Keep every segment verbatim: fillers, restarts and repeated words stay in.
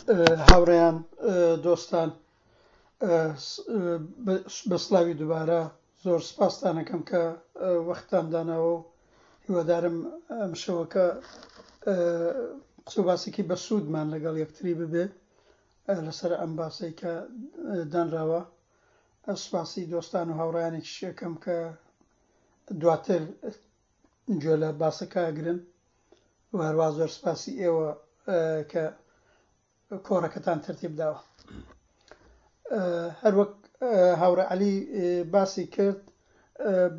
هاوڕێیان، دۆستان، بە سڵاوی دووبارە زۆر سپاستان ئەکەم کە وەختتان داناوە و هیوادارم ئەم شەوەکە قسە و باسێکی بەسوودمان لەگەڵ یەکتری ببێ لەسەر ئەم باسەی کە دانراوە. سپاسی دۆستان و هاوڕێیانێکیش ئەکەم کە دواتر گوێ لە باسەکە ئەگرن و هەروە زۆر سپاسی ئێوە کە کۆڕەکەتان تەرتیب داوە. هەروەک هاوڕێ عەلی باسی کرد،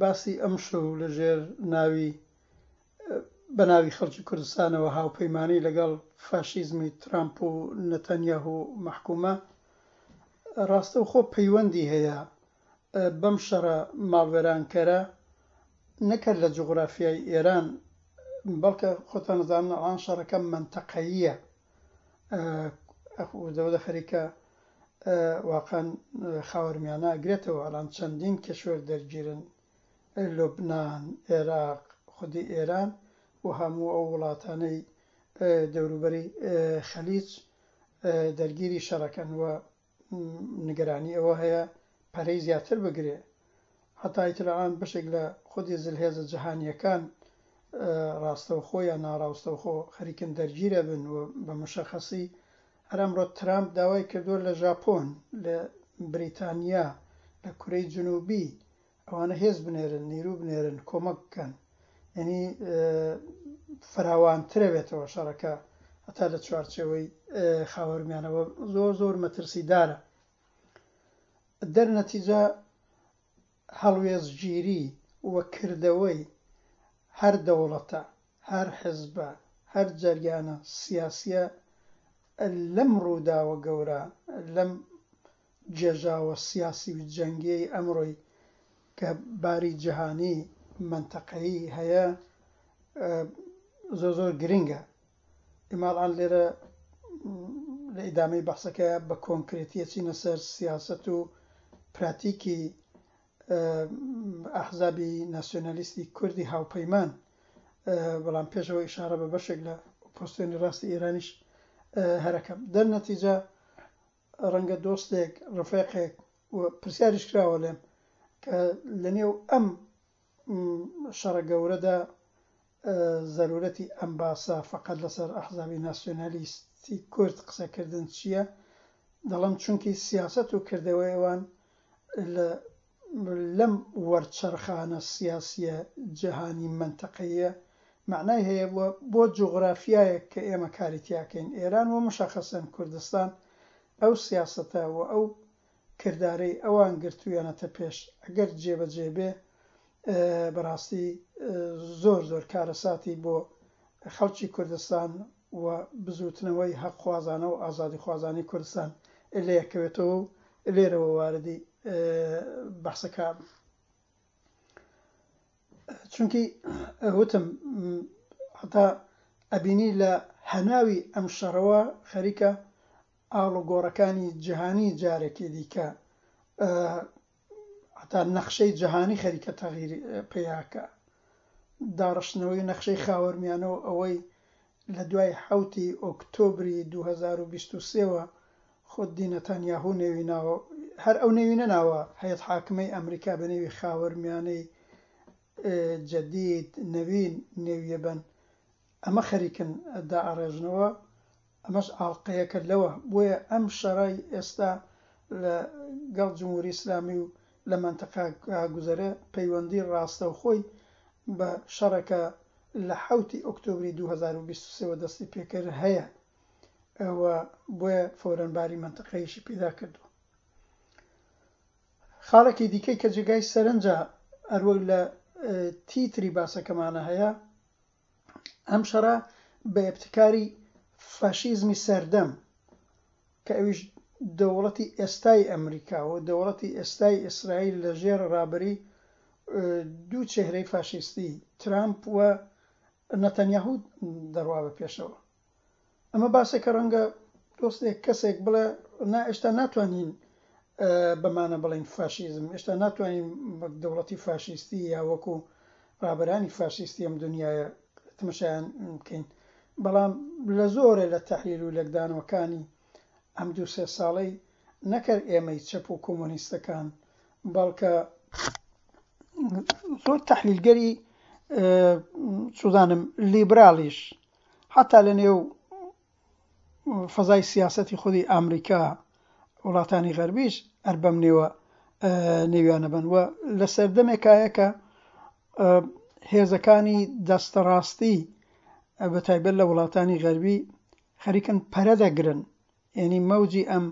باسی ئەمشەو لەژێر ناوی بە ناوی خەڵکی کوردستانەوە هاوپەیمانی لەگەڵ فاشیزمی ترامپ و نەتەنیاهو مەحکومە، ڕاستەوخۆ پەیوەندی هەیە بەم شەڕە ماڵوێرانکەرە نەک هەر لە جوغرافیای ئێران، بەڵکە خۆتان ئەزانن ئەڵان شەڕەکە مەنتەقەییە، وردە خەریکە واقعا خاوەرمیانە ئەگرێتەوە. ئەڵان چەندین کشوەر دەرگیرن، لوبنان، عێراق، خودی ئێران و هەموو ئەو وڵاتانەی دەوروبەری خەلیج دەرگیری شەڕەکەن و نیگەرانی ئەوە هەیە پەرەی زیاتر بگرێ. حتا ئیتر ئەلان بەشێک لە خودی زلهێزە جەهانیەکان ڕاستەوخۆ یا ناڕاستەوخۆ خەریکن دەرگیرە بن و بە مشەخەسی هەر ئەمڕۆ ترامپ داوای کردووە لە ژاپۆن، لە بریتانیا، لە کورەی جنوبی ئەوانە هێز بنێرن، نیرو بنێرن، کۆمەک بکەن. یعنی فراوانترە بێتەوە شەڕەکە هەتا لە چوارچێوەی خاوەرمیانەوە زۆر زۆر مەترسیدارە. دەرنەتیجە هەڵوێستگیری و کردەوەی هەر دەوڵەتە، هەر حزبە، هەر جەریانە سیاسیە لەم ڕووداوە گەورە، لەم گێژاوە سیاسی و جەنگیەی ئەمڕۆی کە باری جیهانی مەنتەقەیی هەیە زۆر زۆر گرنگە. ئێمە ئەلان لێرە لە ئیدامەی بەحسەکە بە کۆنکرێتی ئەچینە سەر سیاسەت و پراتیکی ئەحزابی ناسیۆنالیستی کوردی هاوپەیمان، بەڵام پێشەوە ئیشارە بە بەشێک لە ئۆپۆزسیۆنی ڕاستی ئێرانیش هەرەکەم. دەرنەتیجە ڕەنگە دۆستێک، ڕفێقێک و پرسیاریش کراوە لێم کە لەنێو ئەم شەڕە گەورەدا زەرورەتی ئەم باسە فقط لەسەر ئەحزابی ناسیۆنالیستی کورد قسەکردن چییە؟ دەڵێم چونکی سیاسەت و کردەوەی ئەوان لە لەم وەرچەرخانە سیاسیە جیهانی مەنتەقەیە معنای هەیە بۆ بۆ جوغرافیایەک کە ئێمە کاری تیاکەین، ئێران و مشەخەسەن کوردستان، ئەو سیاسەتە و ئەو کردارەی ئەوان گرتوویانەتە پێش ئەگەر جێبەجێ بێ بەڕاستی زۆر زۆر کارەساتی بۆ خەڵکی کوردستان و بزوتنەوەی حەقخوازانە و ئازادیخوازانی کوردستان لێکەوێتەوە و لێرەوە واردی بەحسەکە. چونکی وتم حتا ئەبینی لە هەناوی ئەم شەڕەوە خەریکە ئاڵوگۆڕەکانی جیهانی جارێکی دیکە، حتا نەخشەی جیهانی خەریکە تەغییر پەیاکە، داڕشتنەوەی نەخشەی خاوەرمیانەوە ئەوەی لە دوای حەوتی ئۆکتۆبری دوو هەزار و بیست و سێوە خودی نەتانیاهو نێوی ناوە، هەر ئەو نێوی نەناوە هەیەت حاکمەی ئەمریکا بە نێوی خاوەرمیانەی جەدید نەوین نێویە بن، ئەمە خەریکن دائەڕێژنەوە، ئەمەش ئاڵقەیەکە لەوە. بۆیە ئەم شەڕای ئێستا لەگەڵ جمهوری ئیسلامی و لە مەنتەقە گوزەرە پەیوەندی ڕاستەوخۆی بە شەڕەکە لە حەوتی ئۆکتۆبری دوو هەزار و بیست و سێوە دەستی پێکرد هەیە و بۆیە فەورەنباری مەنتەقەیشی پەیدا کردووە. خاڵێکی دیکەی کە جێگای سەرنجە هەروەک لە تیتری باسەکەمانە هەیە، ئەم شەڕە بە ئێبتکاری فاشیزمی سەردەم کە ئەویش دەوڵەتی ئێستای ئەمریکا و دەوڵەتی ئێستای ئیسرائیل لەژێر ڕابەری دوو چهرەی فاشیستی ترامپ و نەتەنیاهو دەڕوا بە پێشەوە. ئەمە باسێکە ڕەنگە دۆستێک کەسێک بڵێ نا ئێستا ناتوانین بەمانە بڵێن فاشیزم، ئێستا ناتوانین وەک دەوڵەتی فاشیستی یا وەکو ڕابەرانی فاشیستی ئەم دنیاە تەماشایان بکەین، بەڵام لە زۆرە لە تەحلیل و لێکدانەوەکانی ئەم دوو سێ ساڵەی نەکرد ئێمەی چەپ و کۆمۆنیستەکان، بەڵکە زۆر تەحلیلگەری چوزانم لیبرالیش حتا لە نێو فەزای سیاسەتی خودی ئەمریکا وڵاتانی غەربیش هەر بەم نێوە نێویانە بن و لە سەردەمێکایە کە هێزەکانی دەستەڕاستی بە تایبەت لە وڵاتانی غەربی خەریکن پەرە دەگرن، یعنی مەوجی ئەم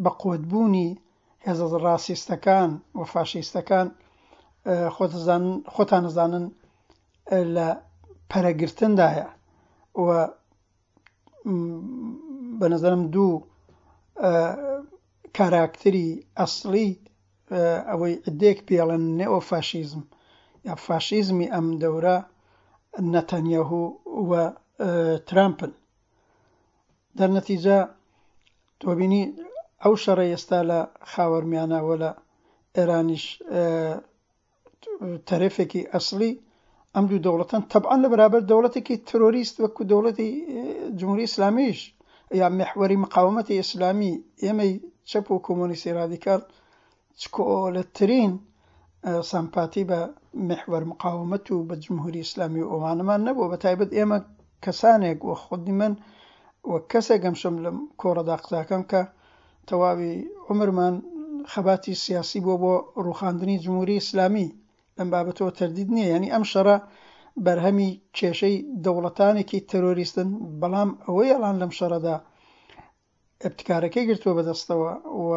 بەقوتبوونی هێزە ڕاستیستەکان و فاشیستەکان خۆتان نەزانن لە پەرەگرتندایە و بە نظرم دوو کاراکتری ئەسڵی ئەوەی عدێک پێڵێن نئۆفاشیزم یا فاشیزمی ئەم دەورە نەتەنیاهو و ترامپن. دەرنەتیجە تۆ بینی ئەو شەڕە ئێستا لە خاوەرمیانە و لە ئێرانیش تەرەفێکی ئەسڵی ئەم دوو دەوڵەتەن، تەبعەن لە بەرابەر دەوڵەتێکی ترۆریست وەکو دەوڵەتی جمهوری ئیسلامیش یا محوەری مقاومەتی ئیسلامی، ئێمەی چەپ و کۆمۆنیستی رادیکال چکۆلەترین سەمپاتی بە محوەر مقاومەت و بە جمهوری ئیسلامی و ئەوانەمان نەبوو. بە تایبەت ئێمە کەسانێک و خودی من و کەسێک ئەمشەم لەم کۆڕەدا قساکەم کە تەواوی عومرمان خەباتی سیاسی بووە بۆ ڕوخاندنی جمهوری ئیسلامی، لەم بابەتەوە تەردید نییە. یعنی ئەم شەڕە بەرهەمی کێشەی دەوڵەتانێکی تەرۆریستن، بەڵام ئەوەی ئەڵان لەم شەڕەدا ابتکارەکەی گرتووە بەدەستەوە و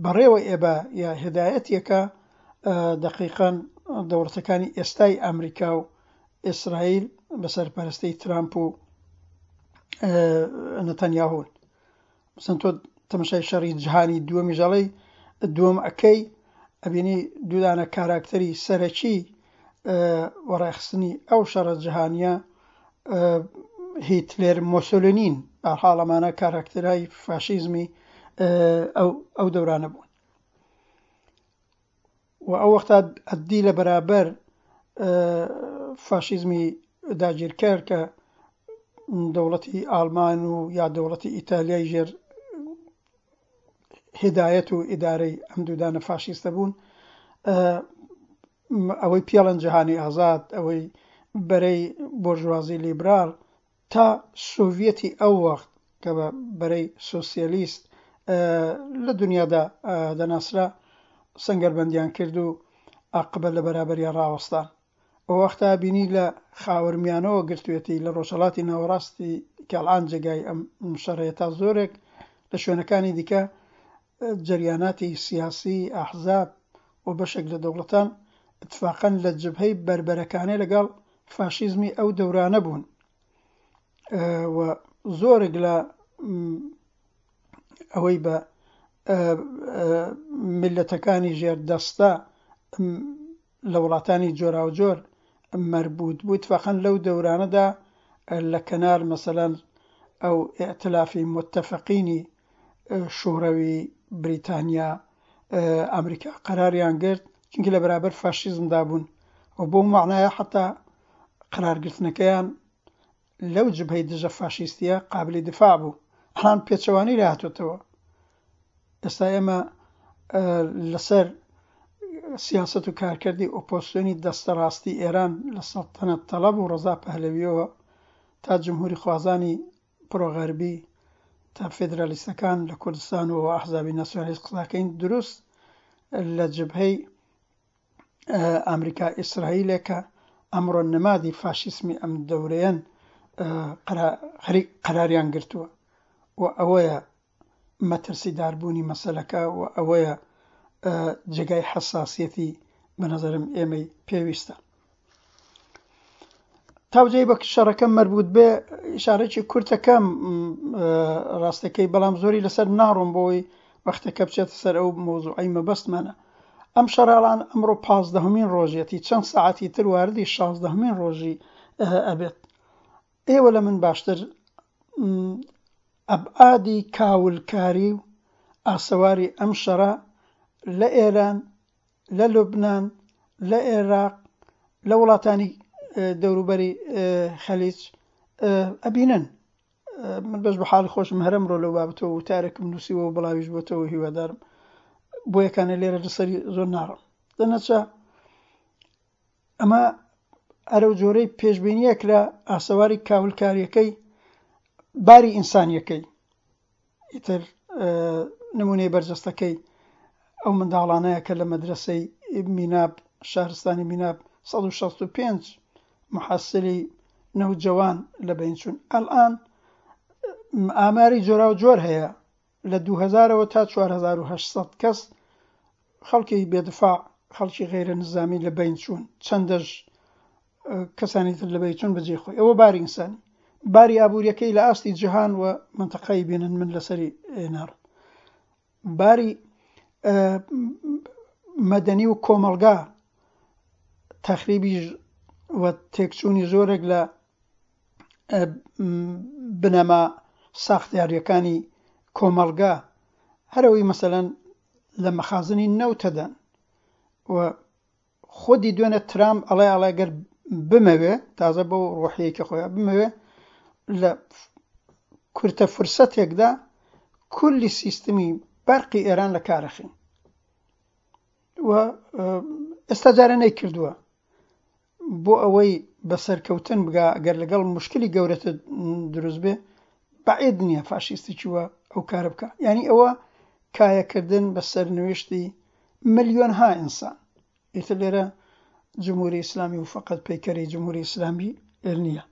بەڕێوە ئێبە یا هدایەتێکە دقیقاً دەوڵەتەکانی ئێستای ئەمریکا و ئیسرائیل بە سەرپەرستی ترامپ و نەتەنیاهون. مثلا تۆ تەماشای شەڕی جیهانی دووەمی ژەڵەی دووەم ئەکەی ئەبینی دوودانە کاراکتەری سەرەکی وەڕێخستنی ئەو شەڕە جیهانیە هیتلێر مۆسۆلینین، بەهەرحاڵ ئەمانە کاراکتەرای فاشیزمی ئەو ئەو دەورانە بوون. و ئەو وەختا ئەدی لە بەرابەر فاشیزمی داگیرکەر کە دەوڵەتی ئاڵمان و یا دەوڵەتی ئیتالیای ژێر هدایەت و ئیدارەی ئەم دوودانە فاشیستە بوون، ئەوەی پێڵەن جیهانی ئازاد، ئەوەی بەرەی بۆرژوازی لیبرال تا سۆڤیەتی ئەو وەخت کە بە بەرەی سۆسیالیست لە دنیادا دەناسرا سەنگەربەندیان کرد و عاقبەت لە بەرابەریان ڕاوەستان. ئەو وەختە بینی لە خاوەرمیانەوە گرتوێتی لە ڕۆژهەڵاتی ناوەڕاستی کەڵان جێگای ئەم شەڕەیە تا زۆرێک لە شوێنەکانی دیکە جەریاناتی سیاسی ئەحزاب و بەشێک لە دەوڵەتان اتفاقاً لە جبهەی بەربەرەکانێ لەگەڵ فاشیزمی ئەو دەورانە بوون و زۆرێک لە ئەوەی بە میلەتەکانی ژێر دەستە لە وڵاتانی جۆراوجۆر مەربوط بوو اتفاقاً لەو دەورانەدا لە کەنار مەسەلەن ئەو ئیئتلافی متفقینی شوورەوی بریتانیا ئەمریکا قەراریان گرت، چونکە لە بەرابەر فاشیزمدا بوون و بۆ معنایە حتا قەرارگرتنەکەیان لەو جبهەی دژە فاشیستیە قابلی دفاع بوو. ئەڵان پێچەوانەی لە هاتوێتەوە. ئێستا ئێمە لەسەر سیاسەت و کارکردی ئۆپۆزیسیۆنی دەستەڕاستی ئێران لە سەڵتەنەت تەڵەب و ڕەزا پەهلەویەوە تا جمهوری خوازانی پرۆغەربی تا فێدرالیستەکان لە کوردستان و ئەحزابی ناسیۆنالیست قساکەین دروست لە جبهەی ئەمریکا ئیسرائیلێکە ئەمڕۆ نمادی فاشیسمی ئەم دەورەیەن قەراریان گرتووە و ئەوەیە مەترسیداربوونی مەسەلەکە و ئەوەیە جێگای حەساسیەتی بە نظرم ئێمەی پێویستە. تاوجەی بە شەڕەکەم مەربوط بێ ئیشارەکی کورتەکەم ڕاستەکەی، بەڵام زۆری لەسەر ناڕۆم بۆی وەختەکە بچێتە سەر ئەو مەوزوعەی مەبەستمانە. ئەم شەڕاڵان ئەمڕۆ پازدەهەمین ڕۆژیەتی، چەند سەعاتی تر واردی شازدەهەمین ڕۆژی ئەبێت. ئێوە لە من باشتر ئەبعادی کاولکاری و ئاسەواری ئەم شەڕە لە ئێران، لە لوبناان، لە عێراق، لە وڵاتانی دەوروبەری خەلیج ئەبینن. من بەش بە حاڵی خۆشم هەر ئەمڕۆ لەو بابەتەوە وتارێکم نووسیوە و بڵاویش بۆتەوە، هیوادارم بۆ یەکانە لێرە لەسەری زۆر ناڕم. دەنەچە ئەمە ئەرەو جۆرەی پێشبینیە کرا ئاسەواری کاولکاریەکەی باری ئینسانیەکەی ئیتر نمونەی بەرجەستەکەی ئەو منداڵانەیە کە لە مەدرسەی میناب، شارستانی میناب، سەد و شەست و پێنج محەسلی نەوجەوان لە بەین چوون. ئەلئان ئاماری جۆراو جۆر هەیە لە دوو هەزارەوە تا چوار هەزار و هەشت سەد کەس خەڵکی بێدفاع، خەڵکی غەیرە نظامی لە بەین چوون، چەندەش کەسانی تر لە بەین چوون بەجێ خۆی. ئەوە باری ئینسانی، باری ئابووریەکەی لە ئاستی جیهان و منتەقەی بینن من لەسەری ناڕم. باری مەدەنی و کۆمەڵگا تەخریبی و تێکچوونی زۆرێک لە بنەما ساختیاریەکانی کۆمەڵگا، هەرەوەی مەسەلەن لە مەخازنی نەوتەدەن و خودی دوێنێ ترامپ ئەڵێ ئەڵێ گەر بمەوێ، تازە بەو ڕۆحیەکی خۆیان بمەوێ لە کورتە فرسەتێکدا کولی سیستمی بەرقی ئێران لە کارەخین و ئێستا جارە نەیکردووە بۆ ئەوەی بەسەرکەوتن بگا. ئەگەر لەگەڵ مشکلی گەورەتر دروست بێ بەعید نییە فاشیستی وە ئەو کارە بکە. یعنی ئەوە کایەکردن بە سەرنوێشتی ملیۆنها ئینسان. ئیتر لێرە جمهوری ئیسلامی و فقط پەیکەری جمهوری ئیسلامی نییە.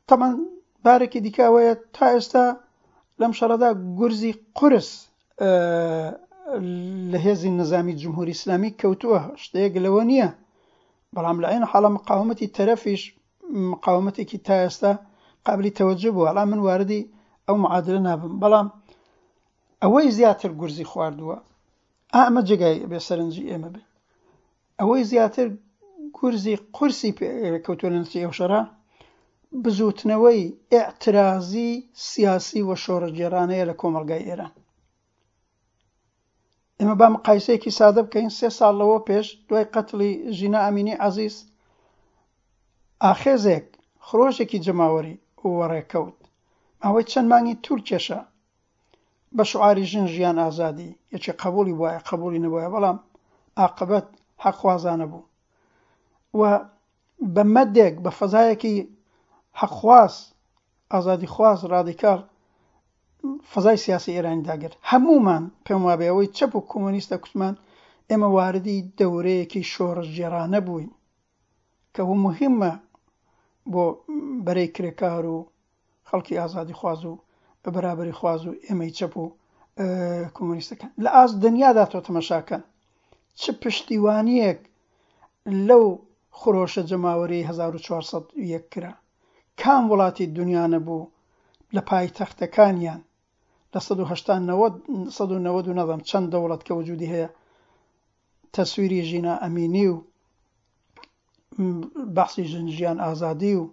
طبعا بارێکی دیکە ئەوەیە تا ئێستا لەم شەڕەدا گورزی قورس لە هێزی نظامی جمهوری ئیسلامی کەوتووە، شتەیەک لەوە نییە، بەڵام لە عین حاڵە مقاومەتی تەرەفیش مقاومەتێکی تا ئێستا قابلی تەوەجه بووە. ئەڵام من واردی ئەو معادلە نابم، بەڵام ئەوەی زیاتر گورزی خواردووە، ئەمە جێگای بێ سەرنجی ئێمە بێ، ئەوەی زیاتر گورزی قورسی کەوتووە لە نەتیجەی ئەو شەڕە بزوتنەوەی ئیعترازی سیاسی و شۆڕشگێڕانەیە لە کۆمەڵگای ئێران. ئێمە با مقایسەیەکی سادە بکەین. سێ ساڵ لەوە پێش دوای قەتڵی ژینا ئەمینی عەزیز ئاخێزێک خرۆشێکی جەماوەری وەڕێکەوت، ماوەی چەند مانگی تور کێشا بە شعاری ژن ژیان ئازادی، یەکێ قبولی بوایە قبولی نەبوایە، بەڵام عاقبەت حەقخوازانە بوو و بە مەدێک بە فەزایەکی حەقخواز ئازادیخواز ڕادیکاڵ فەزای سیاسی ئێرانی داگرت. هەمومان پێم وابێ ئەوەی چەپ و کۆمۆنیستە کوتمان ئێمە واردی دەورەیەکی شۆڕشگێڕانە بووین کە ئەوە مهمە بۆ بەرەی کرێکار و خەڵکی ئازادیخواز و بەرابەری خواز و ئێمەی چەپ و کۆمۆنیستەکان. لە ئاست دنیادا تۆ تەمەشاکەن چ پشتیوانیەک لەو خرۆشە جەماوەری هەزار و چوار سەد و یەک کرا، کام وڵاتی دنیا نەبوو لە پایتەختەکانیان لە سەد و هەشتا نەوەد، سەد و نەوەد و نەزانم چەند دەوڵەت کە وجودی هەیە تەسویری ژینا ئەمینی و بەحسی ژن ژیان ئازادی و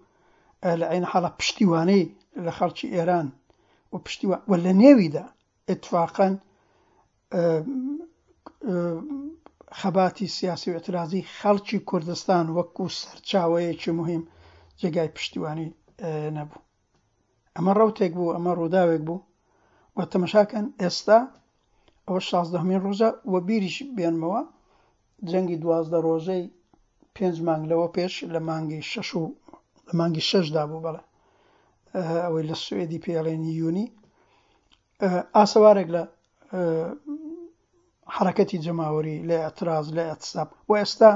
لە عین حاڵە پشتیوانەی لە خەڵکی ئێران و پشتیوان و لە نێویدا اتفاقاً خەباتی سیاسی و اعتراضی خەڵکی کوردستان وەکو سەرچاوەیەکی مهم جێگای پشتیوانی نەبوو. ئەمە ڕەوتێک بوو، ئەمە ڕووداوێک بوو و تەمەشاکەن ئێستا ئەوە شازدەهەمین ڕۆژە و بیریش بێنمەوە جەنگی دوازدە ڕۆژەی پێنج مانگ لەوە پێش لە مانگی شەش و لە مانگی شەشدا بوو، بەڵێ ئەوەی لە سوئدی پێڵێنی یونی، ئاسەوارێک لە حرەکەتی جەماوەری لە اعتراض لە اعتصاب و ئێستا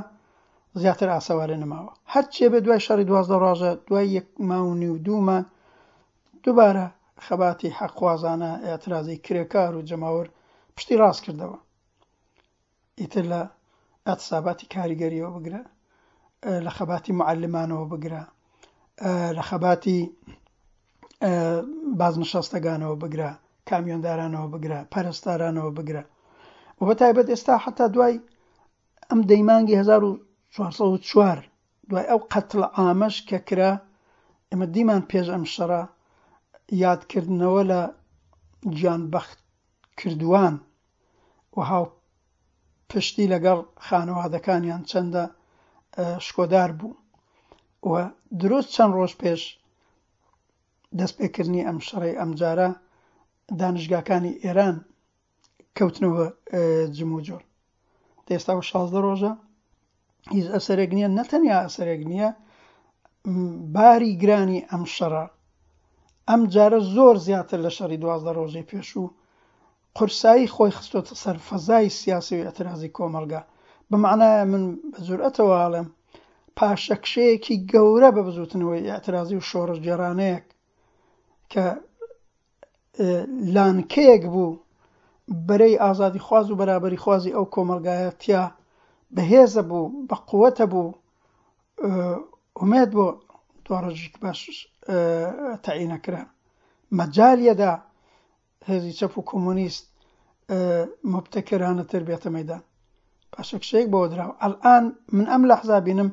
زیاتر ئاسەوارێ نەماوە. هەرچێ بێ دوای شەڕی دوازدە ڕۆژە، دوای یەک ماو و نیو دوو مانگ دووبارە خەباتی حەقخوازانە اعتراضی کرێکار و جەماوەر پشتی ڕاست کردەوە. ئیتر لە اعتصاباتی کاریگەریەوە بگرە، لە خەباتی معلمانەوە بگرە، لە خەباتی بازنشەستەگانەوە بگرە، کامیۆندارانەوە بگرە، پەرستارانەوە بگرە. و بە تایبەت ئێستا حتا دوای ئەم دەیمانگی هەزار و چوار سەد و چوار دوای ئەو قەتڵ عامەش کە کرا، ئێمە دیمان پێش ئەم شەڕە یادکردنەوە لە گیانبەخت کردوان و هاو پشتی لەگەڵ خانەوادەکانیان چەندە شکۆدار بوو. و دروست چەند ڕۆژ پێش دەستپێکردنی ئەم شەڕەی ئەمجارە دانشگاکانی ئێران کەوتنەوە جموجۆڵ. ئێستا شازدە ڕۆژە هیچ ئەسەرێک نییە، نەتەنیا ئەسەرێک نییە، باری گرانی ئەم شەڕە ئەم جارە زۆر زیاتر لە شەڕی دوازدە ڕۆژەی پێشوو قورسایی خۆی خستۆتە سەر فەزای سیاسی و ئێعترازی کۆمەڵگا. بە معنایە من بە جورئەتەوە ئەڵێم پاشەکشەیەکی گەورە بە بزوتنەوەی ئێعترازی و شۆڕشگێڕانەیەک کە لانکەیەک بوو بەرەی ئازادی خواز و بەرابەری خوازی ئەو کۆمەڵگایە تیا بەهێزە بوو، بە قووەتە بوو، ئومێد بۆ دواڕۆژێکی باش تەعینەکرا. مەجالیەدا هێزی چەپ و کۆمۆنیست مبتەکرانەتر بێتە مەیدان. پاشەکشەیەک بۆ دراوە. ئەلئان من ئەم لەحزا بینم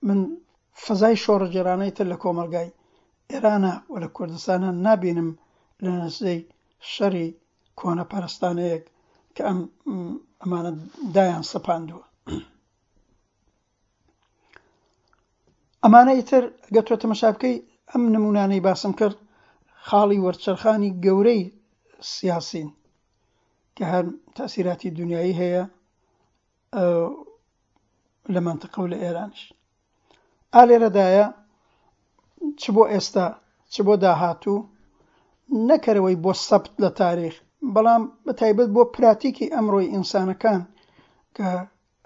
من فەزای شۆڕشگێڕانەی تر لە کۆمەڵگای ئێرانە و لە کوردستانە نابینم لە نەتیجەی شەڕی کۆنەپەرستانەیەک کە ئەم ئەمانە دایان سەپاندووە. ئەمانە ئیتر ئەگەر تۆ تەمەشا بکەی ئەم نمونانەی باسم کرد خاڵی وەرچەرخانی گەورەی سیاسین کە هەر تەسیراتی دنیایی هەیە لە منطقە و لە ئێرانیش. ئا لێرەدایە چ بۆ ئێستا چ بۆ داهاتوو نەکەرەوەی بۆ سەبت لە تاریخ، بەڵام بە تایبەت بۆ پراتیکی ئەمڕۆی ئینسانەکان کە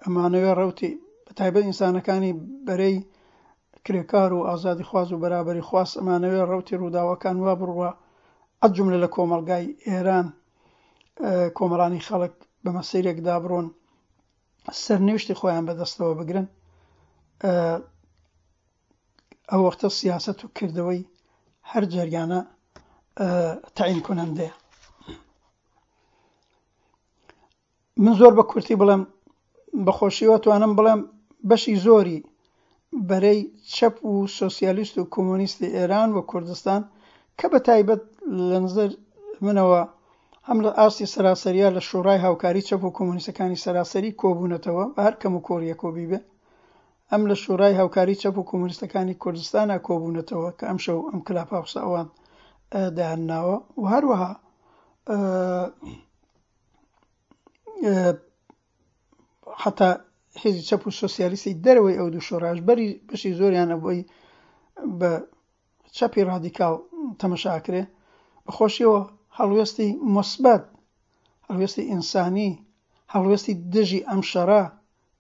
ئەمانەوێ ڕەوتی بە تایبەت ئینسانەکانی بەرەی کرێکار و ئازادی خواز و بەرابەری خواز ئەمانەوێ ڕەوتی ڕووداوەکان وا بڕوا ئەجملە لە کۆمەڵگای ئێران کۆمەڵانی خەڵک بە مەسیرێکدا بڕۆن سەرنوێشتی خۆیان بەدەستەوە بگرن. ئەو وەختە سیاسەت و کردەوەی هەر جەریانە تەعین کنەندەیە. من زۆر بە کورتی بڵێم بەخۆشیەوە توانم بڵێم بەشی زۆری بەرەی چەپ و سۆسیالیست و کۆمۆنیستی ئێران و کوردستان کە بە تایبەت لە نظر منەوە هەم لە ئاستی سەراسەریە لە شۆڕای هاوکاری چەپ و کۆمۆنیستەکانی سەراسەری کۆبوونەتەوە بە هەر کەم و کۆریە کۆبی بێ، ئەم لە شۆڕای هاوکاری چەپ و کۆمۆنیستەکانی کوردستانە کۆبوونەتەوە کە ئەم شەو ئەم کلاپاوسە ئەوان دایانناوە و هەروەها حتا هێزی چەپ و سۆسیالیستی دەرەوەی ئەو دوو شۆڕاش بەری بەشی زۆریان ئەبووی بە چەپی ڕادیکاڵ تەمەشاکرێ. بەخۆشیەوە هەڵوێستی موسبەت، هەڵوێستی ئینسانی، هەڵوێستی دژی ئەم شەڕە،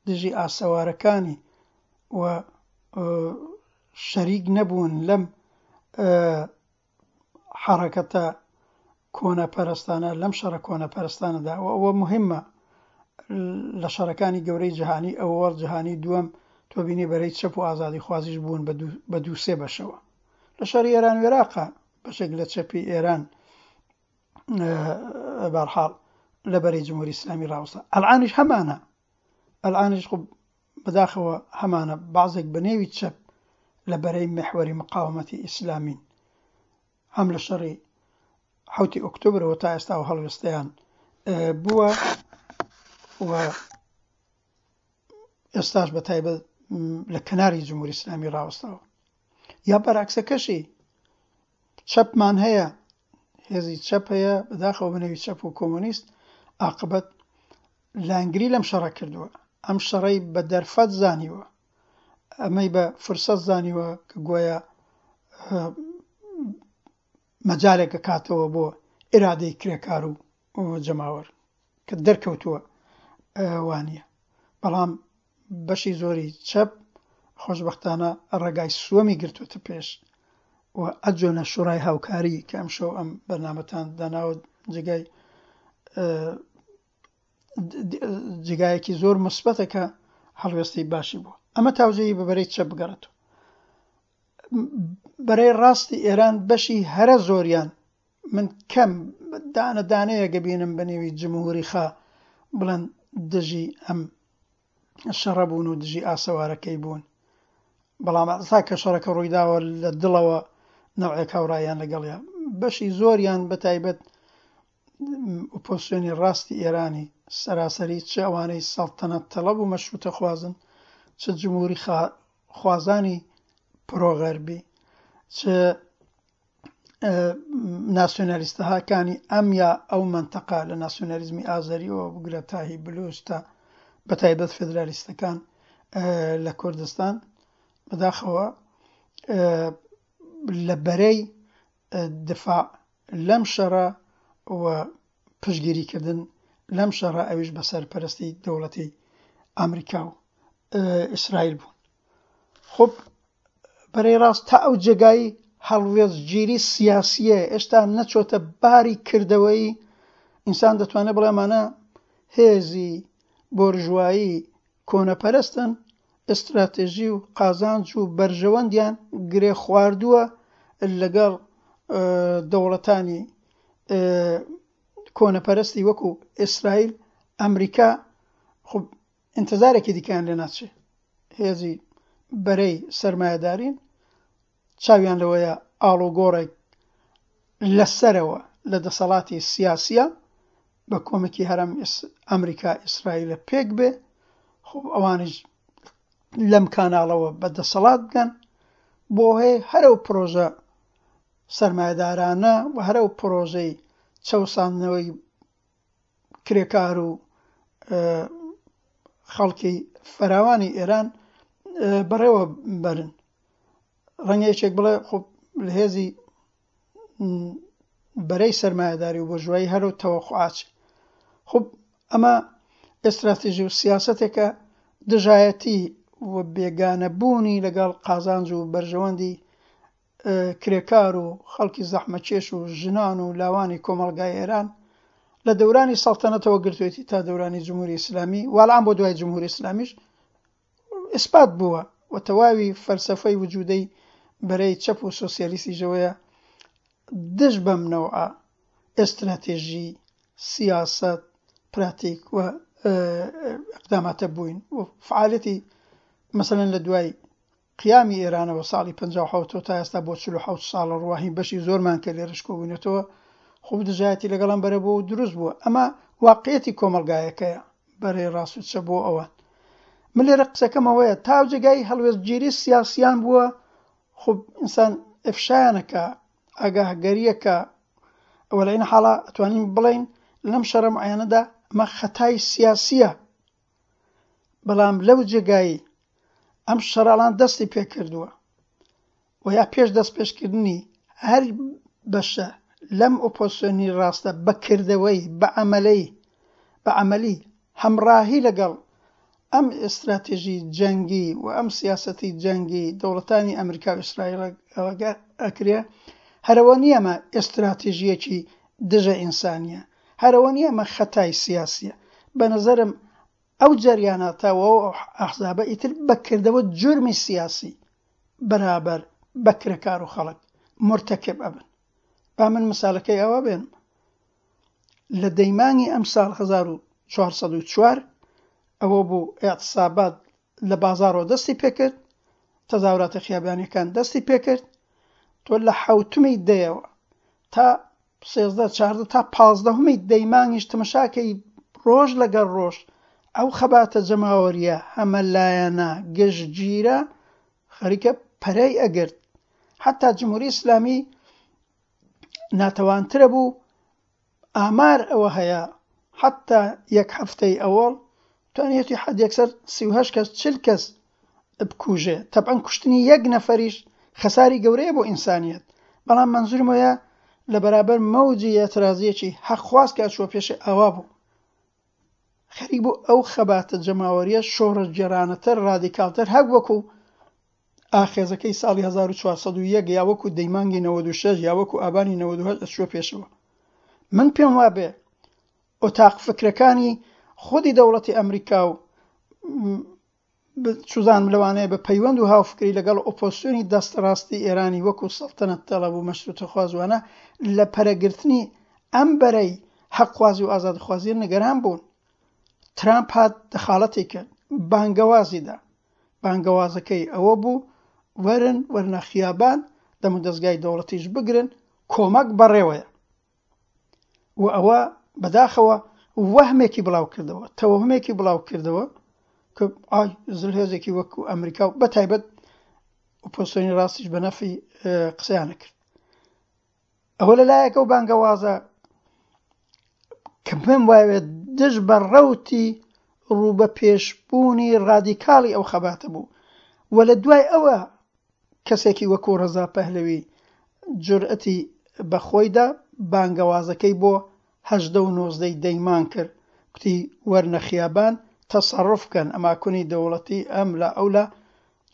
دژی ئاسەوارەکانی و شەریک نەبوون لەم حەرەکەتە کۆنەپەرستانە، لەم شەڕە کۆنەپەرستانەدا. و ئەوە مهمە لە شەڕەکانی گەورەی جیهانی ئەوەڵ جیهانی دووەم تۆ بینی بەرەی چەپ و ئازادی خوازیش بوون بە دوو سێ بەشەوە. لە شەڕی ئێران و عێراقا بەشێک لە چەپی ئێران بەرحاڵ لە بەرەی جمهوری ئیسلامی ڕاوەستا. ئەلعانیش هەمانە، ئەلعانیش خۆ بەداخەوە هەمانە بەعزێک بە نێوی چەپ لە بەرەی محوەری مقاومەتی ئیسلامین، هەم لە شەڕی حوتی ئۆکتۆبرەوە تا ئێستا و هەڵوێستەیان بووە و ئێستاش بە تایبەت لە کەناری جمهوری ئیسلامی ڕاوەستاوە. یا بەراکسەکەشی چەپمان هەیە، هێزی چەپ هەیە، بەداخەوە بەنێوی چەپ و کۆمۆنیست عاقبەت لانگری لەم شەڕە کردووە، ئەم شەڕەی بە دەرفەت زانیوە، ئەمەی بە فرسەت زانیوە کە گۆیا مەجالێک ئەکاتەوە بۆ ئیرادەی کرێکار و جەماوەر کە دەرکەوتووە وانییە. بەڵام بەشی زۆری چەپ خۆشبەختانە ڕێگای سووەمی گرتووەتە پێش و ئەجۆنە شوڕای هاوکاری کە ئەمشەو ئەم بەرنامەتان داناوە جێگای جێگایەکی زۆر مثبەتە کە هەڵوێستی باشی بووە. ئەمە تاوجێی بە بەرەی چەپ بگەڕێتەوە. بەرەی ڕاستی ئێران بەشی هەرە زۆریان من کەم دانە دانەیە گەبینم بە نێوی جمهوری خا بڵێن دژی ئەم شەڕە بوون و دژی ئاسەوارەکەی بوون، بەڵام ئەسا کە شەڕەکە ڕوویداوە لە دڵەوە نەوعێک هاوڕایان لەگەڵیا. بەشی زۆریان بە تایبەت ئۆپۆزیسیۆنی ڕاستی ئێرانی سەراسەری چ ئەوانەی سەڵتەنەت تەڵەب و مەشرووتە خوازن، چ جمهوری خوازانی پرۆغەربی، چ ناسیۆنالیستەکانی ئەم یا ئەو مەنتەقە لە ناسیۆنالیزمی ئازەریەوە بگرە تا هی بلوچ تا بە تایبەت فێدرالیستەکان لە کوردستان بەداخەوە لە بەرەی دفاع لەم شەڕە و پشتگیریکردن لەم شەڕە ئەویش بە سەرپەرستی دەوڵەتی ئەمریکا و ئیسرائیل بوون. خب بەرەی ڕاست تا ئەو جێگای هەڵوێستگیری سیاسیە ئێستا نەچۆتە باری کردەوەی ئینسان دەتوانێت بڵێ ئەمانە هێزی بۆرژوایی کۆنەپەرستن، ئستراتێژی و قازانج و بەرژەوەندیان گرێ خواردووە لەگەڵ دەوڵەتانی کۆنەپەرستی وەکو ئیسرائیل، ئەمریکا. خب ئینتظارێکی دیکەیان لێ ناچێ. هێزی بەرەی سەرمایەدارین چاویان لەوەیە ئاڵوگۆڕێک لەسەرەوە لە دەسەڵاتی سیاسیە بە کۆمەکی هەرم ئەمریکا ئیسرائیلە پێک بێ، خب ئەوانیش لەم کاناڵەوە بە دەسەڵات بگەن بۆ هەیە هەرەو پرۆژە سەرمایەدارانە و هەرەو پرۆژەی چەوساندنەوەی کرێکار و خەڵکی فراوانی ئێران بەڕێوە بەرن. ڕەنگە یەکێک بڵێ خب لە هێزی بەرەی سەرمایەداری و بۆرژوایی هەرەو تەوەقعات. خب ئەمە ئستراتیژی و سیاسەتێکە دژایەتی و بێگانەبوونی لەگەڵ قازانج و بەرژەوەندی کرێکار و خەڵکی زەحمەتکێش و ژنان و لاوانی کۆمەڵگای ئێران لە دەورانی سەڵتەنەتەوە گرتوێتی تا دەورانی جمهوری ئیسلامی، والان بۆ دوای جمهوری ئیسلامیش ئیسپات بووە و تەواوی فەلسەفەی وجودەی بەرەی چەپ و سۆسیالیستیشەوەیە دژ بەم نەوعە ئستراتێژی، سیاسەت، پراتیک و ئەقداماتە بووین و فعالەتی مەسەلەن لە دوای قیامی ئێرانەوە ساڵی پەنجا و حەوت تا ئێستا بۆ چل و حەوت ساڵە ڕواهین بەشی زۆرمان کە لێرەش کۆبووینەتەوە خۆ دژایەتی لەگەڵ ئەم بەرە بۆ دروست بووە. ئەمە واقعیەتی کۆمەڵگایەکەیە بەرەی ڕاست و چە بۆ ئەوان. من لێرە قسەکەمەوەیە تا ئەو جێگای هەڵوێستگیری سیاسیان بووە، خب ئینسان ئفشایانەکە، ئاگاهگەریەکە، ئەوە لە عین حاڵا ئەتوانین بڵێین لەم شەڕە معەنەدا ئەمە خەتای سیاسیە، بەڵام لەو جێگای ئەم شەڕاڵان دەستی پێکردووە و یا پێش دەست پێشکردنی هەر بەشە لەم ئۆپۆزیسیۆنی ڕاستە بەکردەوەی بە عەمەلی بە عەمەلی هەمڕاهی لەگەڵ ئەم ئستراتێژی جەنگی و ئەم سیاسەتی جەنگی دەوڵەتانی ئەمریکا و ئیسرائیل ئەکرێ، هەرەوە نییە ئەمە ئستراتێژیەکی دژە ئینسانیە، هەرەوە نییە ئەمە خەتای سیاسیە. بە نظرم ئەو جەریاناتە و ئەو ئەحزابە ئیتر بەکردەوە جرمی سیاسی بەرابەر بە کرێکار و خەڵک مرتەکب ئەبن. با من مثالەکەی ئەوە بێنم، لە دەیمانگی ئەم ساڵ هەزار و چوار سەد و چوار ئەوە بوو ئیعتصابات لە بازارەوە دەستی پێکرد، تەزاوراتە خیابانیەکان دەستی پێکرد، تۆ لە حەوتمی دەیەوە تا سێزدە چاردە تا پازدەهمی دەیمانگیش تەمەشاکەی ڕۆژ لەگەڵ ڕۆژ ئەو خەباتە جەماوەریە هەمە لایەنە گشتگیرە خەریکە پەرەی ئەگرت. حتا جمهوری ئیسلامی ناتەوانترە بوو، ئامار ئەوە هەیە حتا یەک هەفتەی ئەوەڵ توانیەتی حد یەکسەر سی و هەشت کەس چل کەس بکوژێ. تەبعەن کوشتنی یەک نەفەریش خەساری گەورەیە بۆ ئینسانیەت، بەڵام منزورم وەیە لە بەرابەر مەوجی ئێعترازیەکی حەقخواز کە ئەچووە پێشێ ئاوا بوو، خەریک بوو ئەو خەباتە جەماوەریە شۆڕشگێڕانەتر ڕادیکالتر هەر وەکو ئاخێزەکەی ساڵی هەزار و چوار سەد و یەک یا وەکو دەیمانگی نەوەد و شەش یا وەکو ئابانی نەوەد و هەشت ئەچووە پێشەوە. من پێم وابێ ئۆتاق فکرەکانی خودی دەوڵەتی ئەمریکا و چوزانم لەوانەیە بە پەیوەند و هاوفکری لەگەڵ ئۆپۆزیسیۆنی دەستڕاستی ئێرانی وەکو سەڵتەنەت تەڵەب و مەشرووتەخوازوانە لە پەرەگرتنی ئەم بەرەی حەقخوازی و ئازادخوازی نگەران بوون. ترامپ هات دەخاڵەتی کرد، بانگەوازی دا. بانگەوازەکەی ئەوە بوو وەرن وەرنە خیابان دەم و دەستگای دەوڵەتیش بگرن، کۆمەک بەڕێوەیە. و ئەوە بەداخەوە وەهمێکی بڵاو کردەوە، تەوەهمێکی بڵاو کردەوە کە ئای زلهێزێکی وەکو ئەمریکا و بەتایبەت ئۆپۆزیسیۆنی ڕاستیش بە نەفی قسەیانە کرد. ئەوە لەلایەکە و بانگەوازە کە پێم وایە دژ بە ڕەوتی ڕووبە پێشبوونی ڕادیکاڵی ئەو خەباتە بوو و لە دوای ئەوە کەسێکی وەکو ڕەزا پەهلەوی جورئەتی بە خۆیدا بانگەوازەکەی بۆ هەژدە و نۆزدەی دەیمان کرد، کوتی وەرنە خیابان تەسەڕوف بکەن ئەماکونی دەوڵەتی ئەم لا ئەو لا،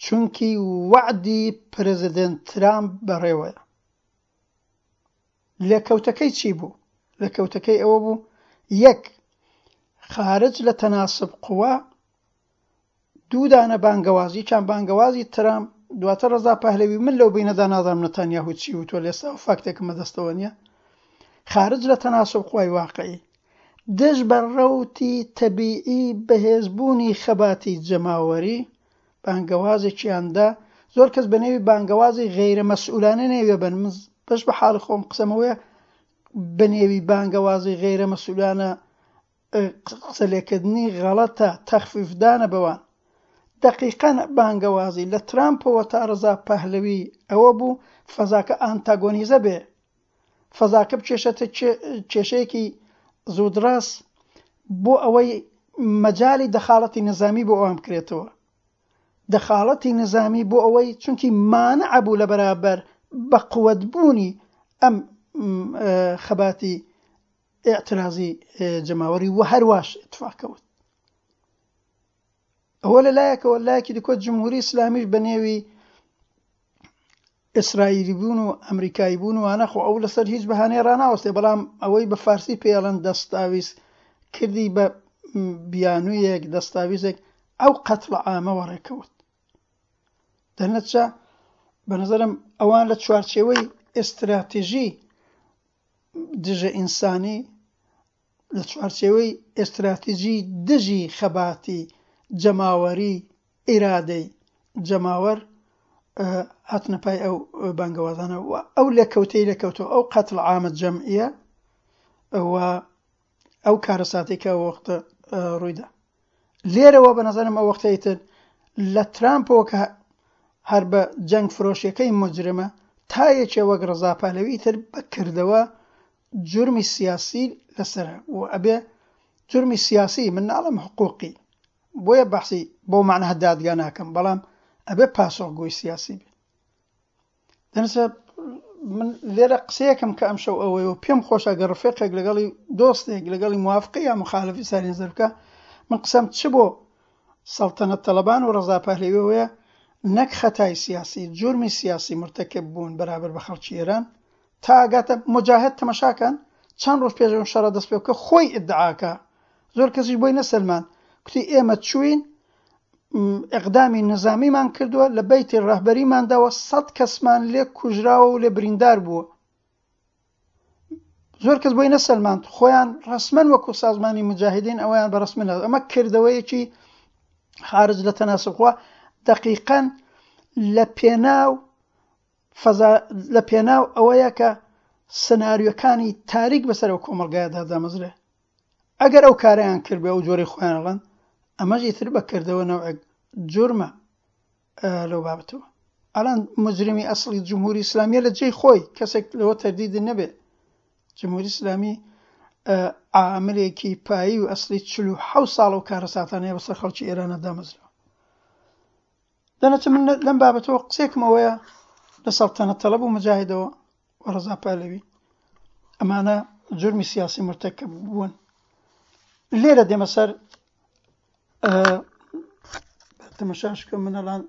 چونکی وەعدی پرزیدنت ترامپ بەڕێوەیە. لێکەوتەکەی چی بوو؟ لێکەوتەکەی ئەوە بوو یەک خارج لە تەناسب قووا دوو دانە بانگەوازی چان بانگەوازی ترامپ دواتر ڕەزا پەهلەوی من لەو بینەدا نازانم نەتانیاهو چی وتووە لێستا و فاکتێکم بەدەستەوە نییە خارج لە تەناسب قوای واقعی دژ بە ڕەوتی تەبیعی بەهێزبوونی خەباتی جەماوەری بانگەوازێکیاندا زۆر کەس بە نێوی بانگەوازی غەیرە مەسئولانە نێوێ بن من بەش بە حاڵی خۆم قسەمەوەیە بە نێوی بانگەوازی غەیرە مەسئولانە قسە لێکردنی غەڵەتە تەخفیفدانە بەوان. دقیقاً بانگەوازی لە ترامپەوە تا ڕەزا پەهلەوی ئەوە بوو فەزاکە ئانتاگۆنیزە بێ، فەزاکە بکێشێتە کێشەیەکی زوودڕاست بۆ ئەوەی مەجالی دەخاڵەتی نظامی بۆ ئەوان بکرێتەوە. دەخاڵەتی نظامی بۆ ئەوەی چونکی مانع بوو لە بەرابەر بە قووەتبوونی ئەم خەباتی ئیعترازی جەماوەری و هەرواش اتفاق کەوت. ئەوە لەلایەکەوە، لایەکی دیکە جمهوری ئیسلامیش بە نێوی ئیسرائیلی بوون و ئەمریکایی بوون وانە خۆ ئەو لەسەر هیچ بەهانەی ڕاناوەستێ، بەڵام ئەوەی بە فارسی پێڵەن دەستاویز کردی بە بیانوویەک دەستاویزێک ئەو قەتڵ عامەوە ڕێکەوت. دەرنەچە بە نظرم ئەوان لە چوارچێوەی ئێستراتیژی دژە ئینسانی، لە چوارچێوەی ئێستراتیژی دژی خەباتی جەماوەری ئیرادەی جەماوەر هاتنە پای ئەو بانگەوازانە و ئەو لێکەوتەی لێکەوتەوە ئەو قەتڵ عامە جەمعیە و ئەو کارەساتێک کە ئەو وەختە ڕوویدا. لێرەوە بە نظرم ئەو وەختەی تر لە ترامپەوە کە هەر بە جەنگ فرۆشیەکەی مجرمە تا یەکێ وەک ڕەزا پەهلەوی تر بەکردەوە جرمی سیاسی لەسەرە و ئەبێ جرمی سیاسی من ناڵم حقوقی بۆیە بەحسی بۆ معنە دادگا ناکەم، بەڵام ئەبێ پاسۆخگۆی سیاسی بێ. دەنسە من لێرە قسەیەکم کە ئەمشەو ئەوەیە و پێم خۆشە گەر ڕفێقێک لەگەڵی دۆستێک لەگەڵی موافقی یا مخالفی ساری نەزەر بکە، من قسەم چ بۆ سەڵتەنەت تەڵەبان و ڕەزا پەهلەویەوەیە نەک خەتای سیاسی جرمی سیاسی مرتکب بوون بەرابەر بە خەڵکی ئێران تا ئاگاتە مجاهد تەمەشاکەن چەند ڕۆژ پێش ئەم شەڕە دەست پێ بکە خۆی ئیدعاکە، زۆر کەسیش بۆی نەسەلمان کوتی ئێمە چوین ئەقدامی نظامیمان کردووە لە بەیتی ڕەهبەریمانداوە سەد کەسمان لێ کوژراوە و لێ بریندار بووە. زۆر کەس بۆی نەسەلماند خۆیان ڕەسمەن وەکو سازمانی مجاهدین ئەوەیان بە ڕەسمی نەدا. ئەمە کردەوەیەکی خارج لە تەناسب خوا دقیقاً لە پێناو فەزا لە پێناو ئەوەیە کە سناریۆکانی تاریک بەسەر ئەو کۆمەڵگایەدا دامەزرێ. ئەگەر ئەو کارەیان کرد بێ ئەو جۆرەی خۆیان ئەڵێن ئەمەش ئیتر بەکردەوە نەوعێک جورمە لەو بابەتەوە. ئەڵان مجرمی ئەسڵی جمهوری ئیسلامیە لە جێی خۆی کەسێک لەوە تەردیدی نەبێ. جمهوری ئیسلامی عاملێکی پایی و ئەسڵی چل و حەوت ساڵ و کارەساتانەیە بەسەر خەڵکی ئێرانە دامەزراوە. دەنەچە من لەم بابەتەوە قسێکم ئەوەیە لە سەڵتەنەت تەڵەب و مجاهدەوە و ڕەزا پەهلەوی ئەمانە جرمی سیاسی مرتکب بوون. لێرە دێمە سەر تەمەشاش بکەم من ئەڵان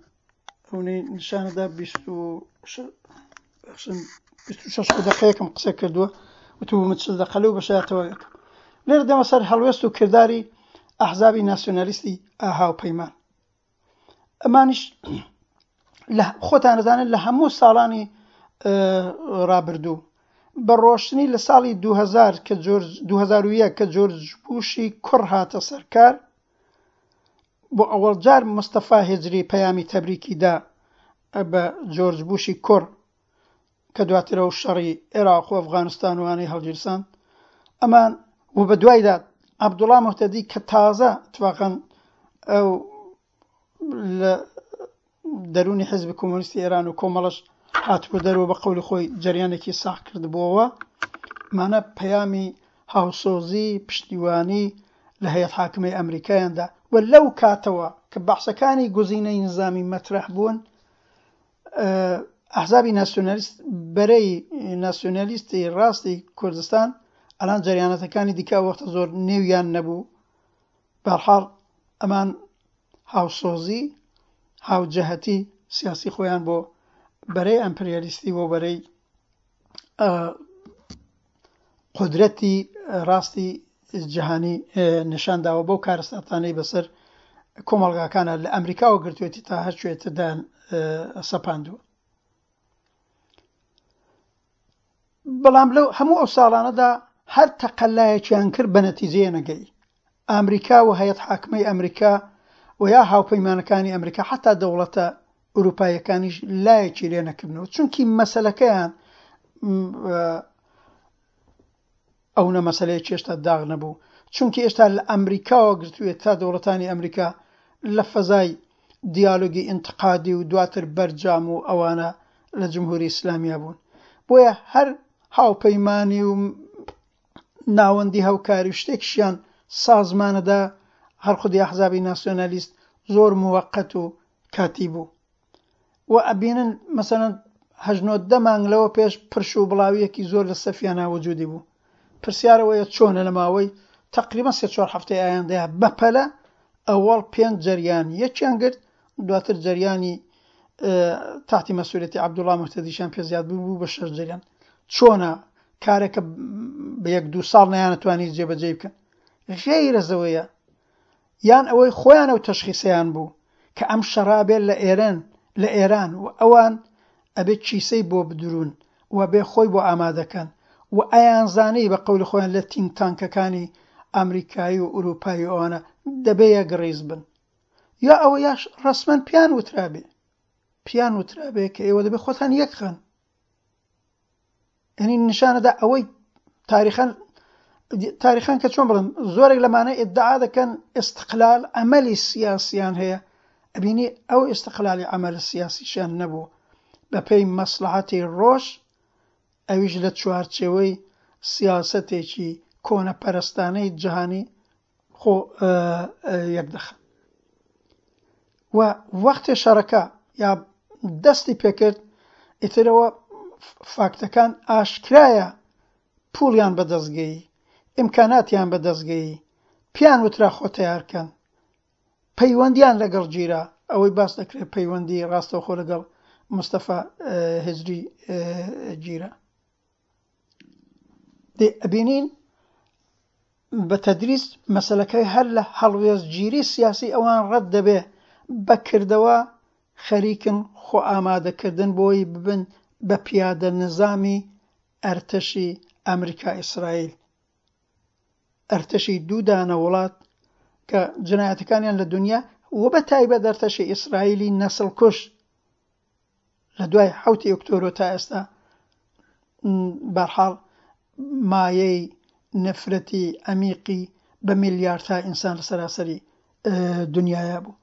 ئەونەی نیشانەدا بیست و شەش دقەیەکم قسە کردووە وتوو من چل دقە لەو بەشایەتەوە یەکەم. لێرە دێمە سەر هەڵوێست و کرداری ئەحزابی ناسیۆنالیستی هاوپەیمان. ئەمانیش لە خۆتان دەزانن لە هەموو ساڵانی ڕابردوو بە ڕۆشنی لە ساڵی دوو هەزار کە جۆرج دوو هەزار و یەک کە جۆرج بوشی کوڕ هاتە سەرکار بۆ ئەوەڵ جار مستەفا هێجری پەیامی تەبریکی دا بە جۆرج بوشی کوڕ کە دواتر ئەو شەڕی عێراق و ئەفغانستان وانەی هەڵگیرساند. ئەمان و بە دوایدا عەبدوڵڵا موهتەدی کە تازە اتفاقاً ئەو لە دەرونی حزب کۆمۆنیستی ئێران و کۆمەڵەش هاتبوو دەرەوە بە قەولی خۆی جەریانێکی ساغ کردبووەوە، مانە پەیامی هاوسۆزی پشتیوانی لە هەیئەت حاکمەی ئەمریکایاندا و لەو کاتەوە کە بەحسەکانی گزینەی نظامی مەطرح بوون، ئەحزابی ناسیۆنالیست بەرەی ناسیۆنالیستی ڕاستی کوردستان ئەلان جەریانەتەکانی دیکە وەختە زۆر نێویان نەبوو. بەرحاڵ ئەمان هاوسۆزی هاوجەهەتی سیاسی خۆیان بۆ بەرەی ئەمپریالیستی بۆ بەرەی قودرەتی ڕاستی جیهانی نیشان داوە بەو کارەساتانەی بەسەر کۆمەڵگاکانە لە ئەمریکاوە گرتوێتی تا هەر کوێ تردایان سەپاندووە. بەڵام لەو هەموو ئەو ساڵانەدا هەر تەقەلایەکیان کرد بە نەتیجەیە نەگەی. ئەمریکا و هەیئەت حاکمەی ئەمریکا و یا هاوپەیمانەکانی ئەمریکا حتا دەوڵەتە ئەوروپاییەکانیش لایەکی لێ نەکردنەوە، چونکی مەسەلەکەیان ئەو نە مەسەلەیەکی هێشتا داغ نەبوو، چونکی هێشتا لە ئەمریکاوە گرتوێت تا دەوڵەتانی ئەمریکا لە فەزای دیالۆگی ئینتقادی و دواتر بەرجام و ئەوانە لە جمهوری ئیسلامیا بوون. بۆیە هەر هاوپەیمانی و ناوەندی هاوکاری و شتێکیشیان سازمانەدا هەر خودی ئەحزابی ناسیۆنالیست زۆر موەقەت و کاتی بوو. و ئەبینن مەسەلەن هەژنۆدە مانگ لەوە پێش پرش و بڵاویەکی زۆر لە سەفیانە وجودی بوو. پرسیارەوەیە چۆنە لە ماوەی تقریبا سێ چوار هەفتەی ئایندەیە بەپەلە ئەوەڵ پێنج جەریان یەکیان گرت، دواتر جەریانی تاحتی مەسئولیەتی عەبدوڵڵا موهتەدیشیان پێ زیاد بوو بوو بە شەش جەریان. چۆنە کارێکە بە یەک دوو ساڵ نەیانەتوانی جێبەجێ بکەن؟ غەیرە زەوەیە یان ئەوەی خۆیان ئەو تەشخیصیان بوو کە ئەم شەڕابێت لە ئێران لە ئێران و ئەوان ئەبێ کیسەی بۆ بدرون و بێ خۆی بۆ ئامادەکەن و ئەیانزانی بە قەولی خۆیان لە تینک تانکەکانی ئەمریکایی و ئەوروپایی و ئەوانە دەبێ یەکڕیز بن، یا ئەوە یاش ڕەسمەن پیان وترابێ پیان وترابێ کە ئێوە دەبێ خۆتان یەکخەن. یعنی نیشانەدا ئەوەی تاریخەن تاریخان کە چۆن بڵێم زۆرێک لەمانە ئیدعا دەکەن ئیستقلال عەمەلی سیاسیان هەیە، ئەبینی ئەو ئیستقلالی عەمەل سیاسیشیان نەبوو بەپێی مەسلحەتی ڕۆژ، ئەویش لە چوارچێوەی سیاسەتێکی کۆنەپەرستانەی جیهانی خۆ یەکدەخەن. و وەختی شەڕەکە یا دەستی پێکرد ئیترەوە فاکتەکان ئاشکرایە، پوڵیان بەدەستگەیی، ئیمکاناتیان بەدەستگەیی، پیان وترا خۆ تەیارکەن، پەیوەندیان لەگەڵ گیرا، ئەوەی باس دەکرێت پەیوەندی ڕاستەوخۆ لەگەڵ مستەفا هجری گیرا. دێ ئەبینین بە تەدریس مەسەلەکەی هەر لە هەڵوێستگیری سیاسی ئەوان ڕەت دەبێ، بەکردەوە خەریکن خۆ ئامادەکردن بۆی ببن بە پیادە نظامی ئەرتەشی ئەمریکا ئیسرائیل، ئەرتەشی دوو دانە وڵات کە جنایەتەکانیان لە دنیا و بە تایبەت ئەرتەشی ئیسرائیلی نەسڵ کوش لە دوای حەوتی ئۆکتۆبەر تا ئێستا بەرحاڵ مایەی نەفرەتی عەمیقی بە میلیاردها ئینسان لە سەراسەری دنیایا بوو.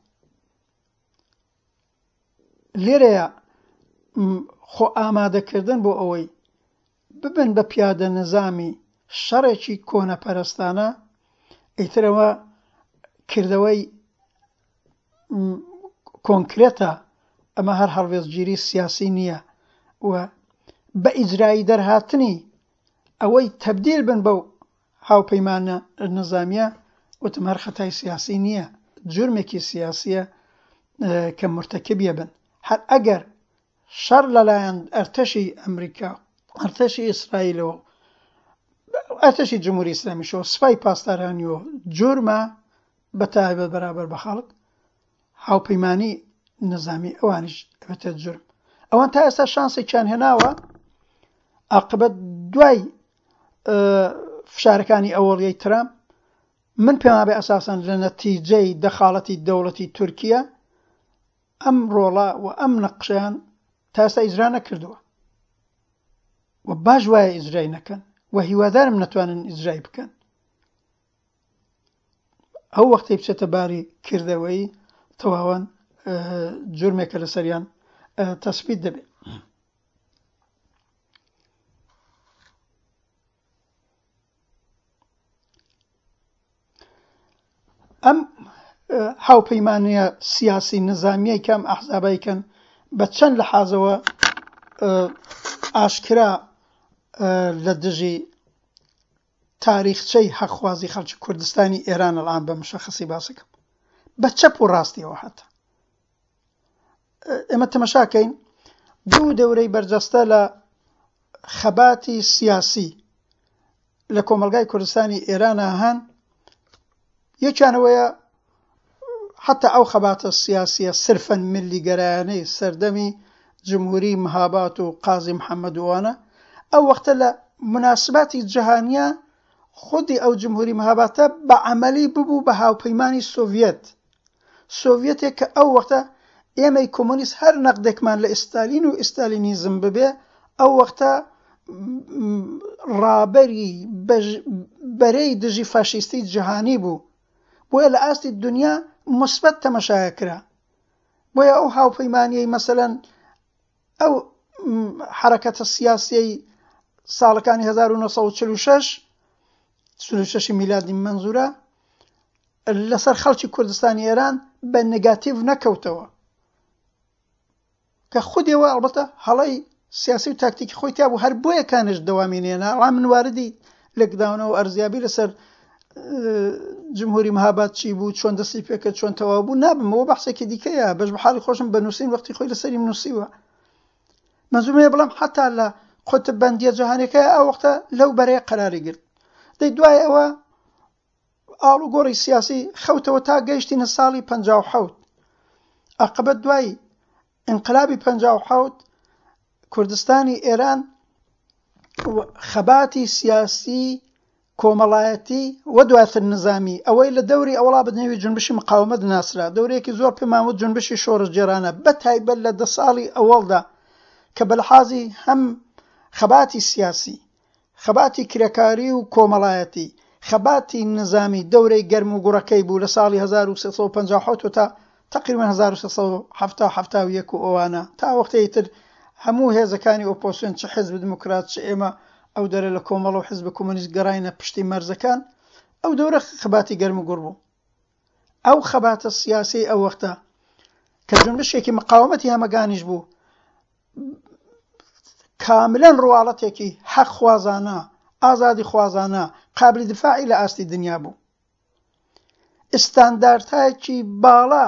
لێرەیە خۆ ئامادەکردن بۆ ئەوەی ببن بە پیادە نظامی شەڕێکی کۆنەپەرستانە، ئیترەوە کردەوەی کۆنکرێتە، ئەمە هەر هەڵوێستگیری سیاسی نییە و بە ئیجرایی دەرهاتنی ئەوەی تەبدیل بن بەو هاوپەیمانە نظامیە، وتم هەر خەتای سیاسی نییە، جرمێکی سیاسیە کە مرتەکبیە بن. هەر ئەگەر شەڕ لەلایەن ئەرتەشی ئەمریکا، ئەرتەشی ئیسرائیلەوە، ئەرتەشی جمهوری ئیسلامیشەوە، سوپای پاسدارانیەوە جورمە بە تایبەت بەرابەر بە خەڵک، هاوپەیمانی نظامی ئەوانیش ئەبێتە جورم. ئەوان تا ئێستا شانسێکیان هێناوە عاقبەت دوای فشارەکانی ئەوەڵیەی ترامپ، من پێم وابێ ئەساسەن لە نەتیجەی دەخاڵەتی دەوڵەتی تورکیا ئەم ڕۆڵە و ئەم نەقشەیان تا ئێستا ئیجرا نەکردووە و باش وایە ئیجرای نەکەن و هیوادارم نەتوانن ئیجرای بکەن. ئەو وەختەی بچێتە باری کردەوەی تەواوان جرمێکە لەسەریان تەسبیت دەبێت. ئەم هاوپەیمانییە سیاسی نظامیەی کە ئەم ئەحزابەی کەن بە چەند لەحازەوە ئاشکرا لە دژی تاریخچەی حەقخوازی خەڵکی کوردستانی ئێران الان بە مشەخەسی باسەکەم بە چەپ و ڕاستیەوە هاتە ئێمە تەمەشاکەین دوو دەورەی بەرجەستە لە خەباتی سیاسی لە کۆمەلگای کوردستانی ئێرانە هەن. یەکیانەوەیە حتی ئەو خەباتە سیاسیە صرفا ملیگەرایانەی سەردەمی جمهوری مهابات و قازی محەممەد وانە ئەو وەختە لە مناسباتی جیهانیە خودی ئەو جمهوری مهاباتە بە عەمەلی ببوو بە هاوپەیمانی سۆڤیەت. سۆڤیەتێک کە ئەو وەختە ئێمەی کۆمۆنیست هەر نەقدێکمان لە ئیستالین و ئیستالینیزم ببێ ئەو وەختە ڕابەری بەرەی دژی فاشیستی جیهانی بوو، بۆیە لە ئاستی دنیا مثبت تەمەشایە کرا. بۆیە ئەو هاوپەیمانیەی مەسەلەن ئەو حرەکەتە سیاسیەی ساڵەکانی هەزار و نۆ سەد و چل و شەش چل و شەش میلادی مەنزورە لەسەر خەڵکی کوردستانی ئێران بە نگاتیڤ نەکەوتەوە کە خودیەوە ئەڵبەتە هەڵەی سیاسی و تاکتیکی خۆی تیا بوو، هەر بۆیە کانش دەوامی نێنا. ئەڵا من واردی لێکداونەوە و ئەرزیابی لەسەر جمهوری مهاباد چی بوو، چۆن دەستی پێکرد، چۆن تەواو بوو نابمەوە، بەحسێکی دیکەیە. بەش بە حاڵی خۆشم بە نووسین وەختی خۆی لەسەری نووسیوە. مەنزومەیە بڵێم حتا لە قوتب بەندیە جیهانیەکە ئەو وەختە لەو بەرەیە قەراری گرت. دەی دوای ئەوە ئاڵوگۆڕی سیاسی خەوتەوە تا گەیشتینە ساڵی پەنجا و حەوت. عاقبەت دوای ئینقلابی پەنجا و حەوت کوردستانی ئێران خەباتی سیاسی کۆمەڵایەتی و دواتر نظامی ئەوەی لە دەوری ئەوڵا بەنێوی جونبشی مقاومەت ناسرا، دەورەیەکی زۆر پێمان وت جونبشی شۆڕشگێڕانە، بە تایبەت لە دە ساڵی ئەوەڵدا کە بەلحازی هەم خەباتی سیاسی، خەباتی کرێکاری و کۆمەڵایەتی، خەباتی نظامی دەورەی گەرم و گوڕەکەی بوو لە ساڵی هەزار و سێ سەد و پەنجا و حەوت تا تقریبا هەزار و سێ سەد و حەفتا و حەفتا و یەک و ئەوانە تا وەختەی تر هەموو هێزەکانی ئۆپۆزیسیۆن چ حزب دموکرات چ ئێمە ئەو دەرە لە کۆمەڵ و حزب کۆمۆنیست گەڕاینە پشتی مەرزەکان، ئەو دەورە خەباتی گەرم و گوڕ بوو. ئەو خەباتە سیاسی ئەو وەختە کە جونبشێکی مقاومەتی هەمەگانیش بوو کاملا ڕواڵەتێکی حەق خوازانە، ئازادی خوازانە، قابلی دفاعی لە ئاستی دنیا بوو. ئستاندارتایەکی باڵا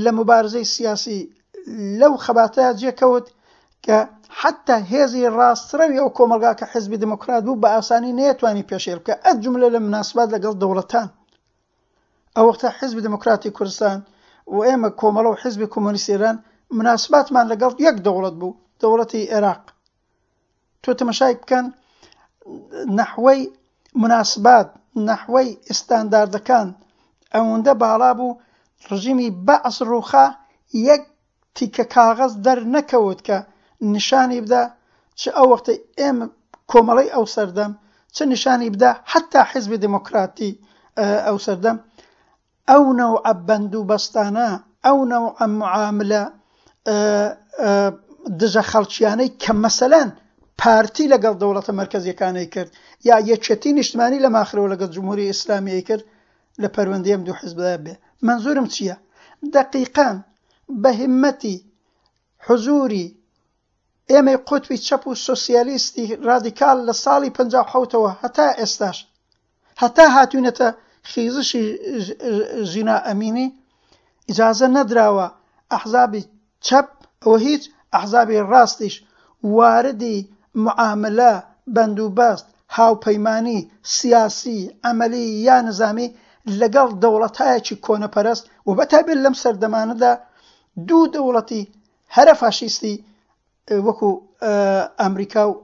لە مبارزەی سیاسی لەو خەباتەیا جێکەوت کە حتی هێزی ڕاستڕەوی ئەو کۆمەڵگا کە حزبی دموکرات بوو بە ئاسانی نەیەتوانی پێشێل بکە، ئەو جملە لە مناسبات لەگەڵ دەوڵەتان. ئەو وەختە حزبی دموکراتی کوردستان و ئێمە کۆمەڵە و حزبی کۆمۆنیستی ئێران مناسباتمان لەگەڵ یەک دەوڵەت بوو، دەوڵەتی عێراق. تۆ تەمەشای بکەن نەحوەی مناسبات، نەحوەی ئستانداردەکان ئەوەندە باڵا بوو ڕژیمی بەعس ڕووخا یەک تیکە کاغەز دەرنەکەوت کە نیشانی بدا چ ئەو وەختەی ئێمە کۆمەڵەی ئەو سەردەم چ نیشانی بدا حتا حزبی دموکراتی ئەو سەردەم ئەو نەوعە بەند و بەستانە، ئەو نەوعە معاملە دژە خەڵکیانەی کە مەسەلەن پارتی لەگەڵ دەوڵەتە مەرکەزیەکانەی کرد یا یەکێتی نیشتمانی لە ماخرەوە لەگەڵ جمهوری ئیسلامیی کرد لە پەروەندەی ئەم دوو حزبدا بێ. منزورم چییە؟ دقیقاً بە هیمەتی حزوری ئێمەی قوتبی چەپ و سۆسیالیستی رادیکال لە ساڵی پەنجا و حەوتەوە هەتا ئێستاش هەتا هاتوینەتە خیزشی ژینا ئەمینی ئیجازە نەدراوە ئەحزابی چەپ ئەوە هیچ ئەحزابی ڕاستیش واردی معاملە بەندوبەست هاوپەیمانی سیاسی عەمەلی یا نظامی لەگەڵ دەوڵەتایەکی کۆنەپەرست و بەتایبەت لەم سەردەمانەدا دوو دەوڵەتی هەرە فاشیستی وەکو ئەمریکا و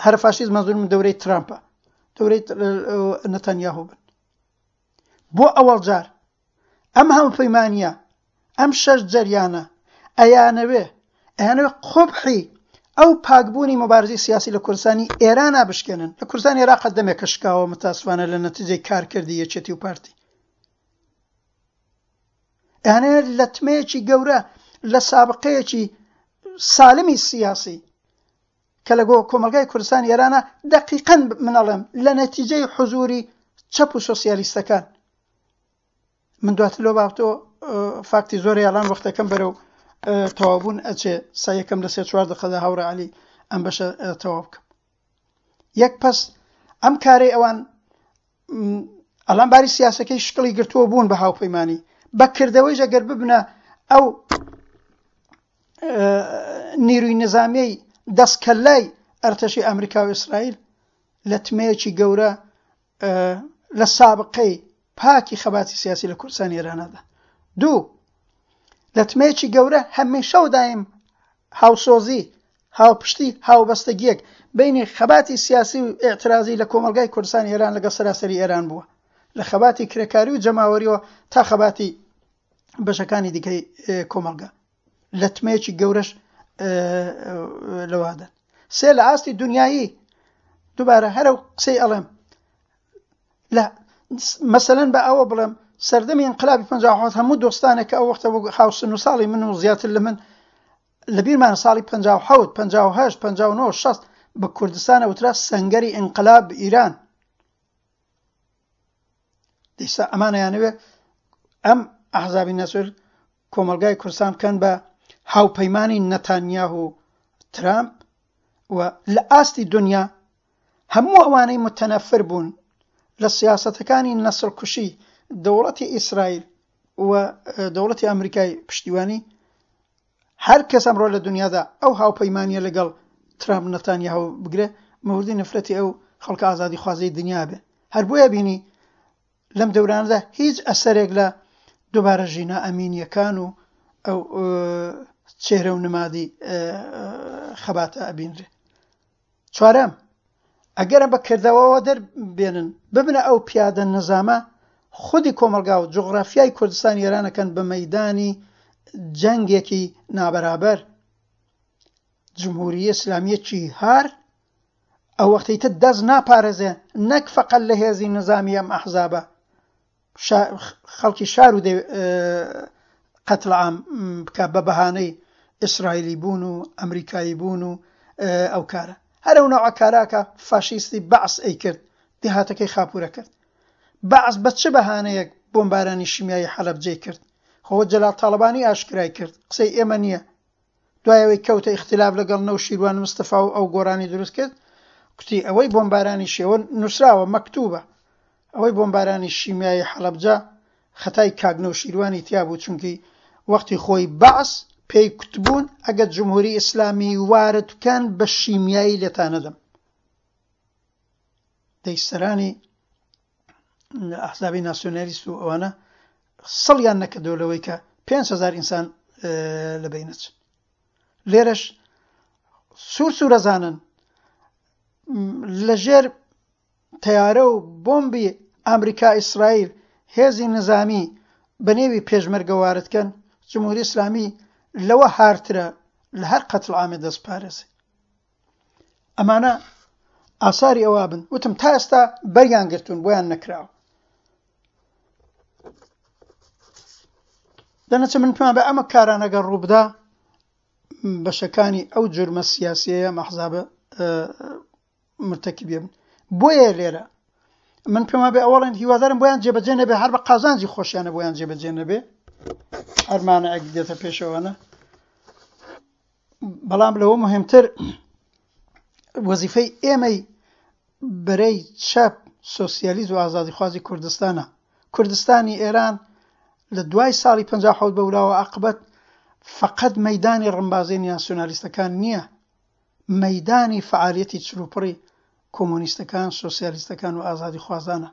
هەرە فاشیست مەنزورم دەورەی ترامپە، دەورەی نەتەنیاهۆ بن. بۆ ئەوەڵ جار ئەم هاوپەیمانیە ئەم شەش جەریانە ئەیانەوێ ئەیانەوێ قوبحی ئەو پاکبوونی مبارزەی سیاسی لە کوردستانی ئێرانە بشکێنن. لە کوردستانی عێراق دەمێکە شکاوە متاسفانە لە نەتیجەی کارکردی یەکێتی و پارتی. ئەیانەوێت لەتمەیەکی گەورە لە سابقەیەکی سالمی سیاسی کە لەگۆ کۆمەلگای کوردستانی ئێرانە دقیقاً من ئەڵێم لە نەتیجەی حزوری چەپ و سۆسیالیستەکان من دواتر لەو بابەتەوە فاکتی زۆر یاڵان وەختەکەم بەرەو تەواوبوون ئەچێ سایەکەم لە سێ چوار دقەدا هاوڕێ عەلی ئەم بەشە تەواو بکەم. یەک پەس ئەم کارەی ئەوان ئەلان باری سیاسەکەی شکڵی گرتووە بوون بە هاوپەیمانی بەکردەوەیش ئەگەر ببنە ئەو نیروی نظامیەی دەستکەلای ئەرتەشی ئەمریکا و ئیسرائیل لەتمەیەکی گەورە لە سابقەی پاکی خەباتی سیاسی لە کوردستانی ئێرانەدا. دوو، لەتمەیەکی گەورە هەمیشە و دایم هاوسۆزی، هاوپشتی، هاوبەستەگیەک بینی خەباتی سیاسی و ئیعترازی لە کۆمەڵگای کوردستانی ئێران لەگەڵ سەراسەری ئێران بووە، لە خەباتی کرێکاری و جەماوەریەوە تا خەباتی بەشەکانی دیکەی کۆمەڵگا. لەتمەیەکی گەورەش لەوادەن. سێ، لە ئاستی دنیایی دووبارە هەرە قسەی ئەڵێم لە مەسەلەن بە ئەوە بڵێم سەردەمی ئینقلابی پەنجا و حەوت هەموو دۆستانێک کە ئەو وەختە هاوسن و ساڵی من و زیاتر لە من لەبیرمان ساڵی پەنجا و حەوت، پەنجا و هەشت، پەنجا و نۆ، شەست بە کوردستانە وترا سەنگەری ئینقلاب ئیران. دیسا ئەمانەیانەوێ ئەم ئەحزابی نەسر کۆمەلگای کوردستان بکەن بە هاوپەیمانی نەتانیاهو و ترامپ و لە ئاستی دنیا هەموو ئەوانەی متەنەفر بوون لە سیاسەتەکانی نەسڵکوشی دەوڵەتی ئیسرائیل و دەوڵەتی ئەمریکای پشتیوانی، هەر کەس ئەمڕۆ لە دنیادا ئەو هاوپەیمانیە لەگەڵ ترامپ نەتانیاهو بگرێ مەوردی نەفرەتی ئەو خەڵکە ئازادیخوازەی دنیا بێ. هەر بۆیە بینی لەم دەورانەدا هیچ ئەسەرێک لە دووبارە ژینا ئەمینیەکان و ئەو چێرە و نمادی خەباتە ئەبینرێ. چوارەم، ئەگەرە بەکردەوەوە دەربێنن ببنە ئەو پیادە نظامە خودی کۆمەلگا و جوغرافیای کوردستانی ئێرانەکەن بە مەیدانی جەنگێکی نابەرابەر. جمهوری ئیسلامیەکی هار ئەو وەختەی تر دەست ناپارێزێ نەک فەقەت لە هێزی نظامی ئەم ئەحزابە خەڵکی شار و قەتل عام بکە بە بەهانەی ئیسرائیلی بوون و ئەمریکایی بوون و ئەو کارە. هەر ئەو نەوعە کاراکە فاشیستی بەعس ئەی کرد، دێهاتەکەی خاپورە کرد. بەعس بە چ بەهانەیەک بۆمبارانی شیمیایی حەلەبجەی کرد؟ خۆ جەلال تاڵەبانی ئاشکرای کرد، قسەی ئێمە نییە. دوای ئەوەی کەوتە ئیختلاف لەگەڵ نەوشیروان مستەفا و ئەو گۆرانی دروست کرد، کوتی ئەوەی بۆمبارانی شێوە نووسراوە مەکتوبە، ئەوەی بۆمبارانی شیمیایی حەلەبجە خەتای کاک نەوشیروانی تیا بوو، چونکی وەختی خۆی بەعس پێی کوتبوون ئەگەر جمهوری ئیسلامی وارد بکەن بە شیمیایی لێتانەدەم. دەیسەرانی ئەحزابی ناسیۆنالیست و ئەوانە سڵیان نەکردەوە لەوەی کە پێنج هەزار ئینسان لەبەینەچن. لێرەش سوور سوورەزانن لەژێر تەیارە و بۆمبی ئەمریکا ئیسرائیل هێزی نظامی بە نێوی پێشمەرگە وارد کەن، جمهوری ئیسلامی لەوە هارترە لە هەر قەتڵ عامێ دەست پارێزێ. ئەمانە ئاساری ئەوە بن. وتم تا ئێستا بەریان گرتوون، بۆیان نەکراوە. دەنەچە من پێمان بە ئەمە کارانەگە ڕووبدا بەشەکانی ئەو جرمە سیاسیەیە مەحزابە مرتەکیبێ بن. بۆیە لێرە من پێما بێ ئەوەڵێن هیوادارم بۆیان جێبەجێ نەبێ، هەر بە قازانجی خۆشیانە بۆیان جێبەجێ نەبێ، هەرمانەیەک دێتە پێشەوەنە. بەڵام لەوە مهمتر وەزیفەی ئێمەی بەرەی چەپ سۆسیالیست و ئازادیخوازی کوردستانە. کوردستانی ئێران لە دوای ساڵی پەنجا و حەوت بەولاوە عاقبەت فقط مەیدانی ڕمبازی ناسیۆنالیستەکان نییە، مەیدانی فعالیەتی چروپڕی کۆمۆنیستەکان، سۆسیالیستەکان و ئازادیخوازانە.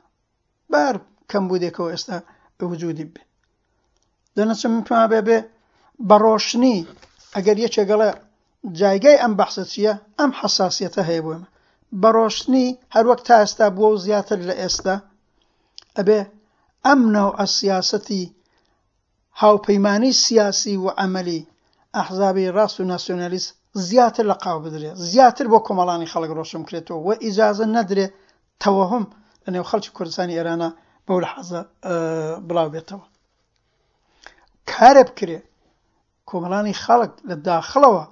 بار کەم بوو دێکەوە ئێستا وجودی بێ. دەنەچم من پێما بێ بێ بە ڕۆشنی ئەگەر یەکێک گەڵێ جایگای ئەم بەحسە چییە، ئەم حەساسیەتە هەیە بۆ ئێمە. بە ڕۆشنی هەروەک تا ئێستا بووە و زیاتر لە ئێستا ئەبێ ئەم نەوعە سیاسەتی هاوپەیمانی سیاسی و عەمەلی ئەحزابی ڕاست و ناسیۆنالیست زیاتر لە قاو بدرێ، زیاتر بۆ کۆمەڵانی خەڵک ڕۆشن بکرێتەوە و ئیجازە نەدرێ تەوەهم لەنێو خەڵکی کوردستانی ئێرانە بەو لەحەزە بڵاو بێتەوە. کارە بکرێ کۆمەڵانی خەڵک لە داخڵەوە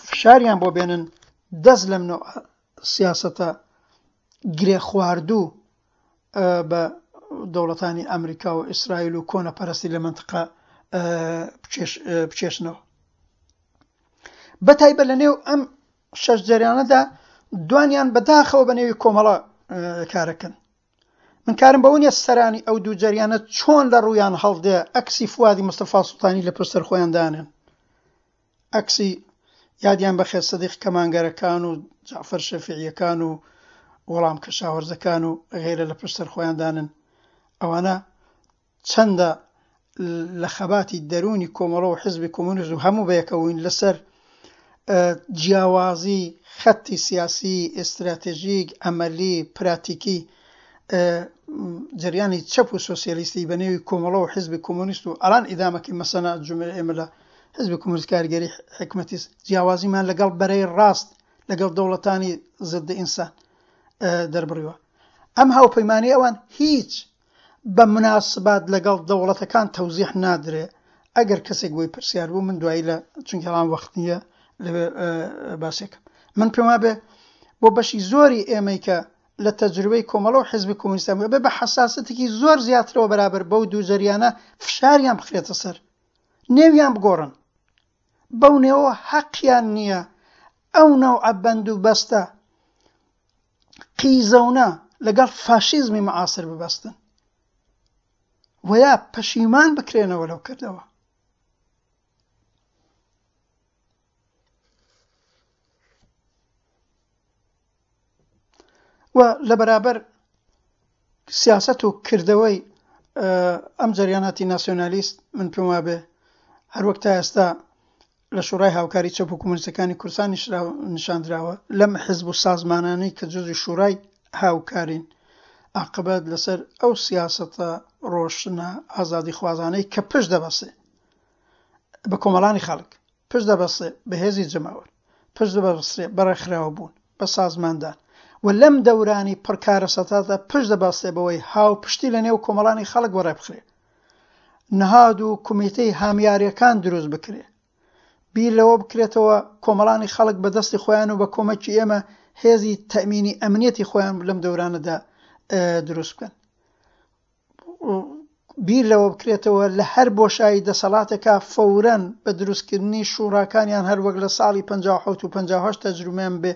فشاریان بۆ بێنن دەست لەم نوع سیاسەتە گرێ خواردوو بە دەوڵەتانی ئەمریکا و ئیسرائیل و کۆنەپەرستی لە مەنتقە بچێشنەوە. بەتایبەت لە نێو ئەم شەش جەریانەدا دوانیان بەداخەوە بە نێوی کۆمەڵە کارەکەن. من کارم بەوە نییە سەرانی ئەو دوو جەریانە چۆن لە ڕوویان هەڵدێ ئەکسی فوادی مستەفا سوڵتانی لە پشت خۆیان دانێن، ئەکسی یادیان بەخێر سەدیق کەمانگەرەکان و جەعفەر شەفیعیەکان و وەڵام کەشاوەرزەکان و غێرە لە پشت خۆیان دانن. ئەوانە چەندە لە خەباتی دەروونی کۆمەڵە و حزبی کۆمۆنیست و هەموو بەیەکەوەین لەسەر جیاوازی خەتی سیاسی، ئستراتێژیک، ئەمەلی، پراتیکی جریانی چەپ و سۆسیالیستی بە نێوی کۆمەڵە و حزبی کۆمۆنیست و ئەلان ئیدامەکەی مەسەنە جمعە ئێمە لە حزبی کۆمۆنیست کارگەری حکمەتیست جیاوازیمان لەگەڵ بەرەی ڕاست لەگەڵ دەوڵەتانی ضد ئینسان دەربڕیوە. ئەم هاوپەیمانی ئەوان هیچ بە مناسبات لەگەڵ دەوڵەتەکان تەوزیح نادرێ. ئەگەر کەسێک بۆی پرسیار بوو من دوایی لە چونکە ئەڵام وەخت نییە لەوێ باسێکم. من پێم وابێ بۆ بەشی زۆری ئێمەی کە لە تەجروبەی کۆمەڵە و حزبی کۆمۆنیستان بێ بە حەساسەتێکی زۆر زیاترەوە بەرابەر بەو دوو جەریانە فشاریان بخرێتە سەر، نێویان بگۆڕن، بەو نێوە حەقیان نییە ئەو نەوعە بەند و بەستە قیزەونە لەگەڵ فاشیزمی معاصر ببەستن ویا پەشیمان بکرێنەوە لەو کردەوە. و لە بەرابەر سیاست و کردەوەی ئەم جەریاناتی ناسیۆنالیست من پێم وابێ هەروەک تا ئێستا لە شورای هاوکاری چەپ و کۆمۆنیستەکانی کوردستان نیشاندراوە لەم حزب و سازمانانەی کە جزی شورای هاوکارین عاقبەت لەسەر ئەو سیاسەتە ڕۆشنە ئازادیخوازانەی کە پشت دەبەسێ بە کۆمەڵانی خەڵک، پشت دەبەسێ بە هێزی جەماوەر، پشت دەبەسێ بە ڕێکخراوە بوون، بە سازماندان و لەم دەورانی پڕکارەسەتاتە پشت دەبەستێ بەوەی هاوپشتی لە نێو کۆمەڵانی خەڵک وەڕێ بخرێ، نهاد و کومیتەی هامیاریەکان دروست بکرێ، بیر لەوە بکرێتەوە کۆمەڵانی خەڵک بە دەستی خۆیان و بە کۆمەکی ئێمە هێزی تەئمینی ئەمنیەتی خۆیان لەم دەورانەدا دروست بکەن. بیر لەوە بکرێتەوە لە هەر بۆشایی دەسەڵاتێکا فەورەن بە دروستکردنی شوڕاکانیان هەروەک لە ساڵی پەنجا و حەوت و پەنجا و هەشت تەجروبەیان بێ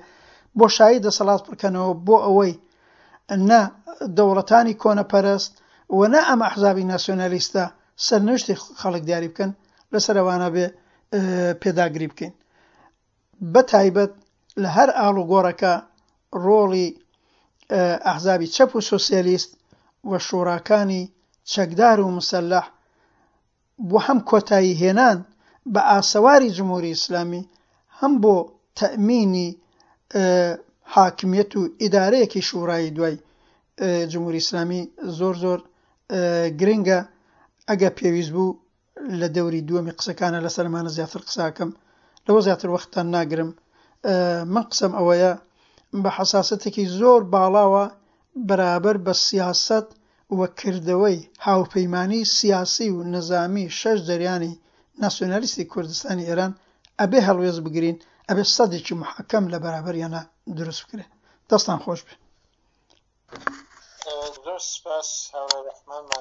بۆشایی دەسەڵات بکەنەوە بۆ ئەوەی نە دەوڵەتانی کۆنەپەرست و نە ئەم ئەحزابی ناسیۆنالیستە سەرنوشتی خەڵک دیاری بکەن، لەسەر ئەوانە بێ پێداگری بکەین. بە تایبەت لە هەر ئاڵوگۆڕەکە ڕۆڵی ئەحزابی چەپ و سۆسیالیست و شوڕاکانی چەکدار و مسەلح بۆ هەم کۆتایی هێنان بە ئاسەواری جمهوری ئیسلامی، هەم بۆ تەئمینی حاکمیەت و ئیدارەیەکی شوڕایی دوای جمهوری ئیسلامی زۆر زۆر گرنگە. ئەگەر پێویست بوو لە دەوری دووەمی قسەکانە لەسەرمانە زیاتر قساکەم، لەوە زیاتر وەختتان ناگرم. من قسەم ئەوەیە بە حەساسەتێکی زۆر باڵاوە بەرابەر بە سیاسەت و کردەوەی هاوپەیمانی سیاسی و نەزامی شەش جەریانی ناسیۆنالیستی کوردستانی ئێران ئەبێ هەڵوێست بگرین، ئەبێ سەدێکی محەکەم لە بەرابەریانە دروست بکرێ. دەستان خۆش بێ. زۆر سپاس هاوڕێ ڕەحمانمان.